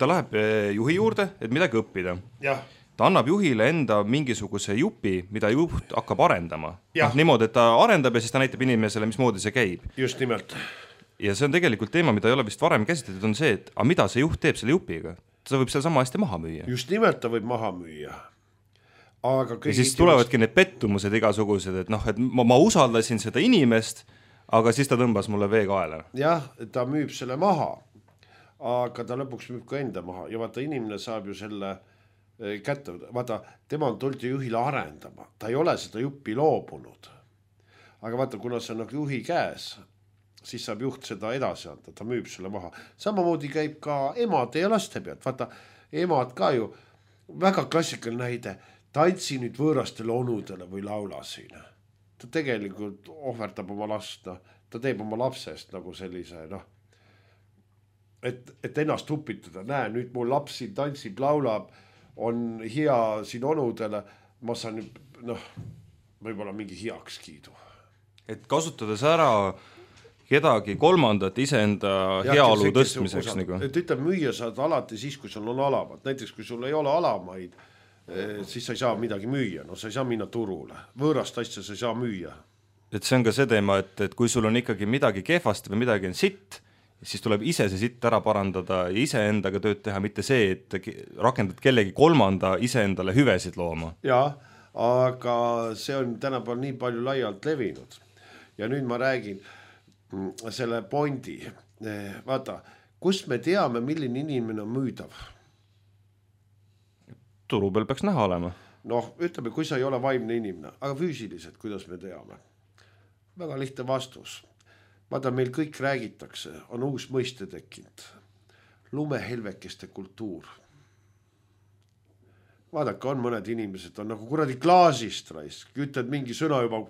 Speaker 2: ta läheb juhi juurde, et midagi õppida.
Speaker 3: Jah.
Speaker 2: Ta annab juhile enda mingisuguse jupi, mida juht hakkab arendama. No, niimoodi, et ta arendab ja siis ta näitab inimesele, mismoodi see käib.
Speaker 3: Just nimelt.
Speaker 2: Ja see on tegelikult teema, mida ei ole vist varem käsitletud, on see, et a, mida see juht teeb selle jupiga. Ta võib seal sama hästi maha müüa.
Speaker 3: Just nimelt ta võib maha müüa. Aga
Speaker 2: ja siis tulevadki need pettumused igasugused, et noh, et ma, ma usaldasin seda inimest, aga siis ta tõmbas mulle vee kaela.
Speaker 3: Jah, ta müüb selle maha, aga ta lõpuks müüb ka enda maha ja vaata, inimene saab ju selle kätte, vaata, tema on tulnud juhile arendama, ta ei ole seda juppi loobunud. Aga vaata, kuna see on nagu juhi käes, siis saab juht seda edasi anda, ta müüb selle maha. Samamoodi käib ka emade ja laste pealt, vaata, emad ka ju, väga klassikaline näide, tantsi nüüd võõrastele onudele või laula siin. Ta tegelikult ohverdab oma last, no. Ta teeb oma lapsest nagu sellise, noh, et, et ennast upitada, näe, nüüd mul laps siin tantsib, laulab, on hea siin onudele, ma saan noh, võib-olla mingi heakskiidu.
Speaker 2: Et kasutades ära kedagi kolmandat iseenda heaolu tõstmiseks. Nagu.
Speaker 3: Et ütleb, müüa saad alati siis, kui sul on alamad. Näiteks, kui sul ei ole alamaid, siis sa ei saa midagi müüa. No sa ei saa minna turule. Võõrast asja sa ei saa müüa.
Speaker 2: Et see on ka see teema, et, et kui sul on ikkagi midagi kehvasti või midagi on sitt, siis tuleb ise see sitt ära parandada ja ise endaga tööd teha, mitte see, et rakendad kellegi kolmanda ise endale hüvesid looma.
Speaker 3: Jaa, aga see on tänapäeval nii palju laialt levinud. Ja nüüd ma räägin selle pointi, vaata, kust me teame, milline inimene on müüdav?
Speaker 2: Turu peal peaks näha olema.
Speaker 3: Noh, ütleme, kui sa ei ole vaimne inimene, aga füüsiliselt, kuidas me teame? Väga lihtne vastus. Vaata, meil kõik räägitakse, on uus mõiste tekkinud. Lumehelvekeste kultuur. Vaadake, on mõned inimesed, on nagu kuradi klaasist raisk, ütled mingi sõna juba,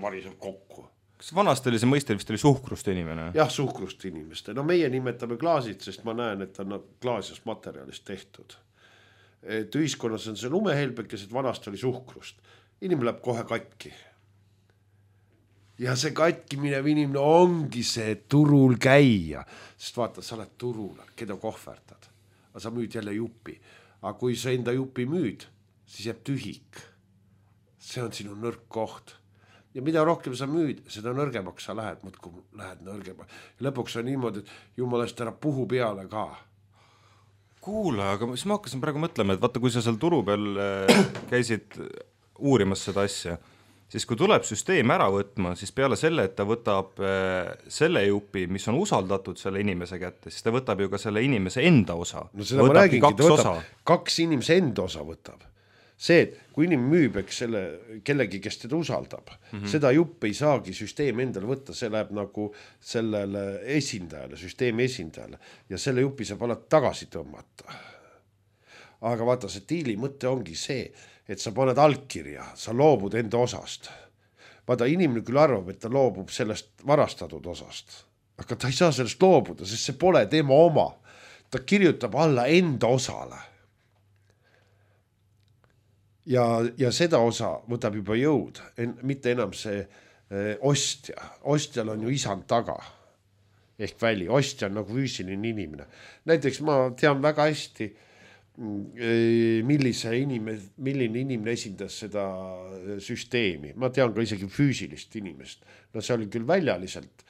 Speaker 3: variseb kokku.
Speaker 2: Kas vanasti oli see mõiste, vist oli suhkrust inimene?
Speaker 3: Jah, suhkrust inimeste. No meie nimetame klaasid, sest ma näen, et on klaasist materjalist tehtud. Et ühiskonnas on see lumehelbekesed, vanasti oli suhkrust. Inimene läheb kohe katki. Ja see katki minev inimene ongi see turul käia. Sest vaata, sa oled turul, keda kohverdad. Aga sa müüd jälle jupi. Aga kui sa enda jupi müüd, siis jääb tühik. See on sinu nõrk koht. Ja mida rohkem sa müüd, seda nõrgemaks sa lähed, mõtku lähed nõrgemaks. Ja lõpuks on niimoodi, et jumalast ära puhu peale ka.
Speaker 2: Kuule, aga siis ma hakkasin praegu mõtlema, et vaata, kui sa seal turu peal käisid uurimas seda asja, siis kui tuleb süsteem ära võtma, siis peale selle, et ta võtab selle jupi, mis on usaldatud selle inimese kätte, siis ta võtab ju ka selle inimese enda osa.
Speaker 3: No seda ma räägingi, ta võtab kaks inimese enda osa võtab. See, et kui inimene müüb eks selle kellegi, kes teda usaldab, mm-hmm. seda jupp ei saagi süsteem endale võtta, see läheb nagu sellele esindajale, süsteemi esindajale ja selle jupi saab alati tagasi tõmmata. Aga vaata, see diili mõte ongi see, et sa paned allkirja, sa loobud enda osast. Vaata, inimene küll arvab, et ta loobub sellest varastatud osast, aga ta ei saa sellest loobuda, sest see pole tema oma. Ta kirjutab alla enda osale. Ja, ja seda osa võtab juba jõud, en, mitte enam see e, ostja. Ostjal on ju isand taga, ehk väli. Ostja on nagu füüsiline inimene. Näiteks ma tean väga hästi, e, millise inimene, milline inimene esindas seda süsteemi. Ma tean ka isegi füüsilist inimest. No see oli küll väljaliselt,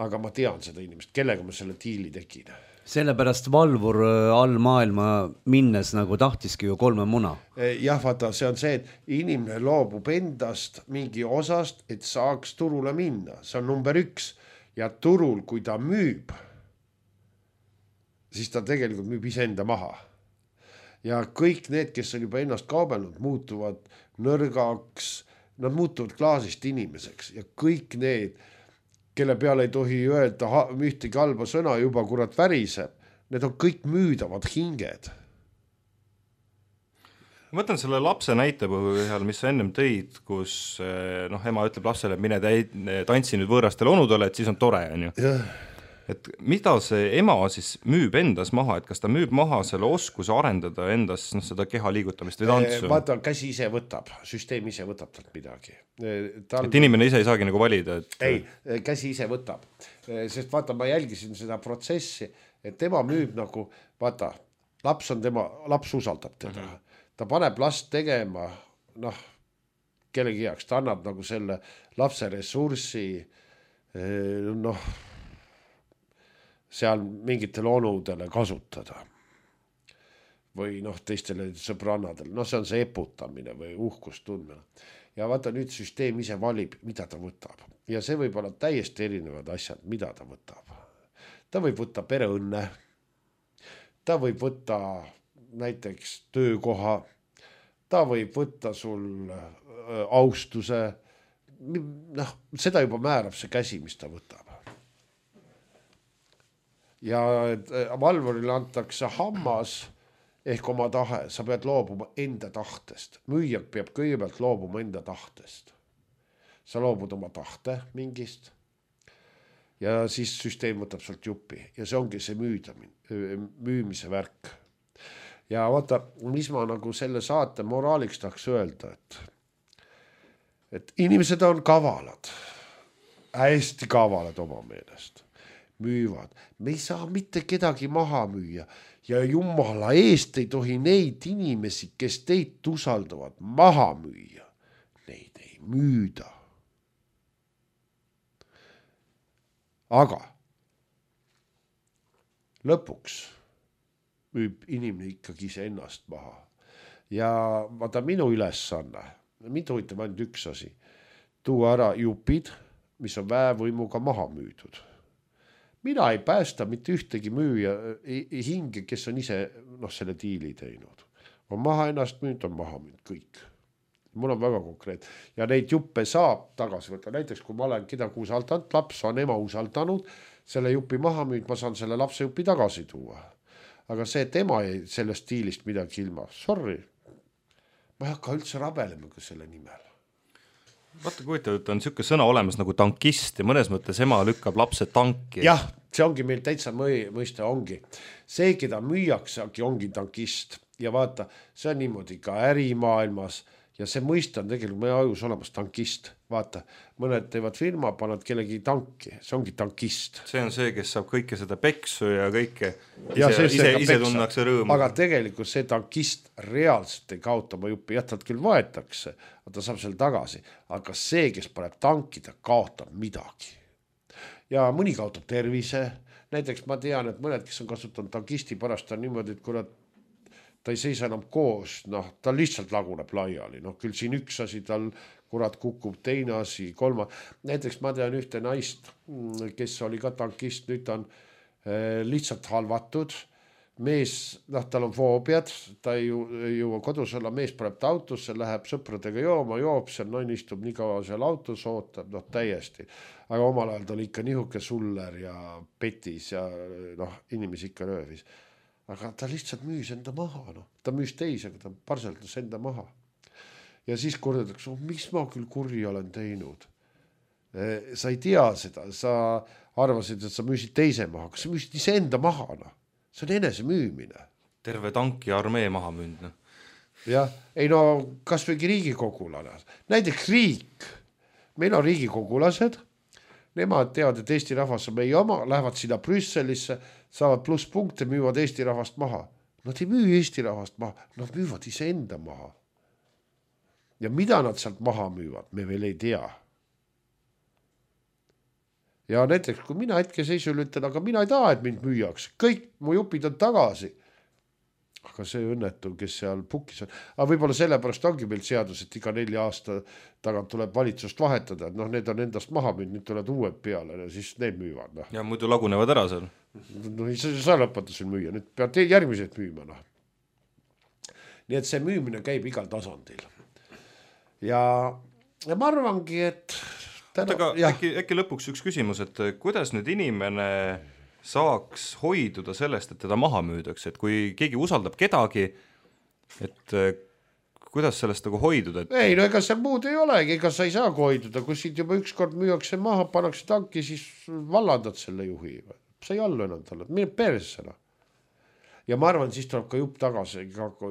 Speaker 3: aga ma tean seda inimest, kellega ma selle diili tegin.
Speaker 1: Sellepärast valvur all maailma minnes nagu tahtiski ju kolme muna.
Speaker 3: Jah, vaata, see on see, et inimene loobub endast mingi osast, et saaks turule minna. See on number üks. Ja turul, kui ta müüb, siis ta tegelikult müüb iseenda maha. Ja kõik need, kes on juba ennast kaubelnud, muutuvad nõrgaks, nad muutuvad klaasist inimeseks ja kõik need, kelle peale ei tohi öelda ühtegi halba sõna juba kurat väriseb, need on kõik müüdavad hinged.
Speaker 2: Ma mõtlen selle lapse näite põhjal, mis sa ennem tõid, kus noh, ema ütleb lapsele, mine tantsi nüüd võõrastele onudele, et siis on tore. On ju. Et mida see ema siis müüb endas maha, et kas ta müüb maha selle oskuse arendada endas no, seda keha liigutamist või tantsu?
Speaker 3: Vaata, käsi ise võtab, süsteem ise võtab talt midagi.
Speaker 2: Tal... Et inimene ise ei saagi nagu valida? Et...
Speaker 3: Ei, käsi ise võtab. Sest vaata, ma jälgisin seda protsessi, et tema müüb nagu, vaata, laps on tema, laps usaldab teda. Uh-huh. Ta paneb last tegema, noh, kellegi heaks, ta annab nagu selle lapse ressurssi, noh, seal mingitele onudele kasutada või noh, teistele sõbrannadele. No see on see eputamine või uhkust tundmine. Ja vaata nüüd süsteem ise valib, mida ta võtab. Ja see võib olla täiesti erinevad asjad, mida ta võtab. Ta võib võtta pereõnne, ta võib võtta näiteks töökoha, ta võib võtta sul austuse, noh, seda juba määrab see käsi, mis ta võtab. Ja valvurile antakse hammas ehk oma tahe, sa pead loobuma enda tahtest. Müüjak peab kõigepealt loobuma enda tahtest. Sa loobud oma tahte mingist ja siis süsteem võtab sealt juppi ja see ongi see müüda, müümise värk. Ja vaata, mis ma nagu selle saate moraaliks tahaks öelda, et, et inimesed on kavalad, hästi kavalad oma meelest, müüvad. Me ei saa mitte kedagi maha müüa ja jumala eest ei tohi neid inimesi, kes teid usaldavad, maha müüa. Neid ei müüda. Aga lõpuks müüb inimene ikkagi ise ennast maha. Ja vaata minu ülesanne, mind huvitab ainult üks asi, tuua ära jupid, mis on väevõimuga maha müüdud. Mina ei päästa mitte ühtegi müüja hinge, kes on ise noh, selle diili teinud. On maha ennast müüd, on maha müüd kõik. Mul on väga konkreet. Ja neid juppe saab tagasi võtta. Näiteks kui ma olen kedagi usaldanud, laps on ema usaldanud, selle jupi maha müüd, ma saan selle lapse jupi tagasi tuua. Aga see tema ei sellest diilist midagi ilma. Sorry, ma ei hakka üldse rabelema selle nimel.
Speaker 2: Vaata, kui on niisugune sõna olemas nagu tankist ja mõnes mõttes ema lükkab lapse tanki.
Speaker 3: Jah, see ongi meil täitsa mõiste ongi. See, keda müüakse, ongi tankist. Ja vaata, see on niimoodi ka ärimaailmas ja see mõiste on tegelikult meie ajus olemas tankist. Vaata, mõned teevad firma, panad kellegi tanki, see ongi tankist.
Speaker 2: See on see, kes saab kõike seda peksu ja kõike ja ise, ise, ise tunnakse rõõmu.
Speaker 3: Aga tegelikult see tankist reaalselt ei kaota oma jupi, jätad küll vaetakse, ta saab selle tagasi, aga see, kes paneb tankida, kaotab midagi. Ja mõni kaotab tervise, näiteks ma tean, et mõned, kes on kasutanud tankisti pärast on niimoodi, et kurat, ta ei seisa enam koos, noh, ta lihtsalt laguneb laiali, noh, küll siin üks asi tal kurat kukub, teine asi, kolma. Näiteks ma tean ühte naist, kes oli ka tankist, nüüd on eh, lihtsalt halvatud, mees, noh, tal on foobiad, ta ei jõua kodus olla, mees paneb ta autosse, läheb sõpradega jooma, joob seal, naine istub nii kaua seal autos, ootab, noh, täiesti. Aga omal ajal ta oli ikka nihuke suller ja petis ja noh, inimesi ikka röövis. Aga ta lihtsalt müüs enda maha, noh. Ta müüs teisi, aga ta parseldas enda maha. Ja siis kordatakse, oh, mis ma küll kurja olen teinud. Sa ei tea seda, sa arvasid, et sa müüsid teise maha, aga sa müüsid ise enda maha, noh. See on enese müümine.
Speaker 2: Terve tanki armee maha müünd, noh.
Speaker 3: Jah, ei no kas võigi riigikogulane. Näiteks riik, meil on riigikogulased, nemad teavad, et Eesti rahvas on meie oma, lähevad sinna Brüsselisse, saavad pluss punkte, müüvad Eesti rahvast maha. Nad ei müü Eesti rahvast maha, nad müüvad ise enda maha. Ja mida nad sealt maha müüvad, me veel ei tea. Ja näiteks, kui mina hetke seisul ütlen, aga mina ei taha, et mind müüaks. Kõik mu jupid on tagasi. Aga see õnnetu, kes seal pukis on. Aga võib-olla sellepärast ongi meil seadus, et iga nelja aasta tagant tuleb valitsust vahetada. Et noh, need on endast maha müünud, nüüd tuleb uued peale ja siis need müüvad. No.
Speaker 2: Ja muidu lagunevad ära seal.
Speaker 3: No ei saa lõpata siin müüa, nüüd peab järgmised müüma. No. Nii et see müümine käib igal tasandil. Ja, ja ma arvangi, et...
Speaker 2: Täna, aga äkki, äkki lõpuks üks küsimus, et kuidas nüüd inimene saaks hoiduda sellest, et teda maha müüdakse, et kui keegi usaldab kedagi, et kuidas sellest nagu hoiduda? Et...
Speaker 3: Ei, no ega see muud ei olegi, ega sa ei saa hoiduda, kui siit juba ükskord müüakse maha, pannakse tanki, siis vallandad selle juhi. Sa ei allu enam talle, mine persena. Ja ma arvan, siis tuleb ka jupp tagasi,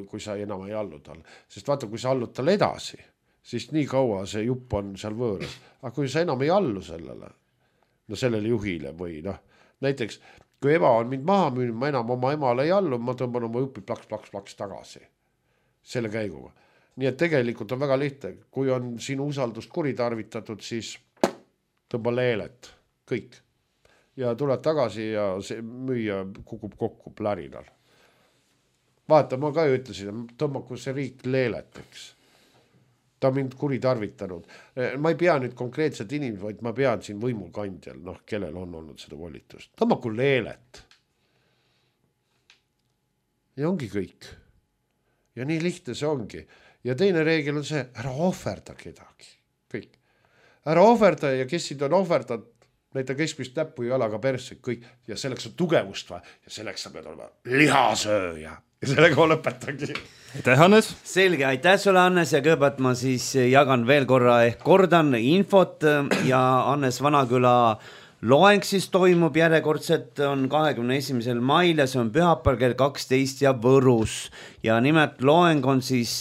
Speaker 3: kui sa enam ei allu talle. Sest vaata, kui sa allud talle edasi, siis nii kaua see jupp on seal võõras. Aga kui sa enam ei allu sellele, no sellele juhile või noh, näiteks, kui ema on mind maha müünud, ma enam oma emale ei allu, ma tõmban oma jupi plaks, plaks, plaks tagasi selle käiguga. Nii et tegelikult on väga lihtne, kui on sinu usaldust kuritarvitatud, siis tõmba leelet, kõik. Ja tuled tagasi ja see müüja kukub kokku plärinal. Vaata, ma ka ju ütlesin, tõmbaku see riik leeleteks. Ta on mind kuritarvitanud. Ma ei pea nüüd konkreetselt inimesed, vaid ma pean siin võimukandjal, noh, kellel on olnud seda volitust. Tõmbaku leelet. Ja ongi kõik. Ja nii lihtne see ongi. Ja teine reegel on see, ära ohverda kedagi. Kõik. Ära ohverda ja kes siin on ohverdad, näita keskmist näppu ja jalaga persse, kõik. Ja selleks on tugevust vaja. Ja selleks sa pead olema lihasööja. Ja sellega lõpetagi.
Speaker 2: Aitäh, Hannes.
Speaker 1: Selge, aitäh sulle, Hannes, ja kõigepealt ma siis jagan veel korra ehk kordan infot ja Hannes Vanaküla loeng siis toimub järjekordselt, on kahekümne esimesel mail ja see on pühapäeval kell kaksteist ja Võrus. Ja nimelt loeng on siis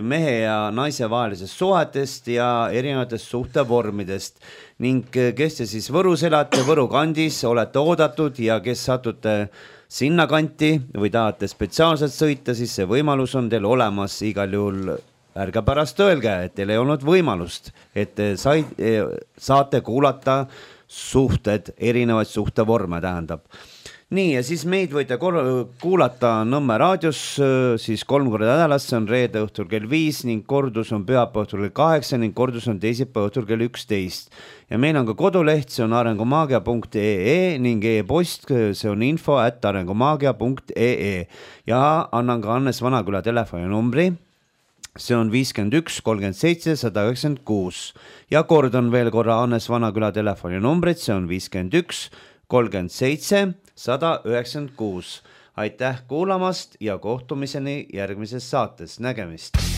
Speaker 1: mehe ja naise vahelisest suhetest ja erinevatest suhtevormidest. Ning kes te siis Võrus elate, Võru kandis, olete oodatud ja kes satute sinna kanti või tahate spetsiaalselt sõita, siis see võimalus on teil olemas igal juhul. Ärge pärast öelge, et teil ei olnud võimalust, et sai, saate kuulata suhted, erinevaid suhtevorme tähendab. Nii, ja siis meid võite kuulata Nõmme raadios siis kolm korda nädalas, see on reede õhtul kell viis ning kordus on pühapäeva õhtul kell kaheksa ning kordus on teisipäeva õhtul kell üksteist. Ja meil on ka koduleht, see on arengumaagia punkt ee ning e-post, see on info at arengumaagia punkt ee. Ja annan ka Hannes Vanaküla telefoninumbri. See on viiskümmend üks kolmkümmend seitse sada üheksakümmend kuus ja kord on veel korra Hannes Vanaküla telefoninumbrid, see on viiskümmend üks kolmkümmend seitse sada üheksakümmend kuus. Aitäh kuulamast ja kohtumiseni järgmises saates, nägemist!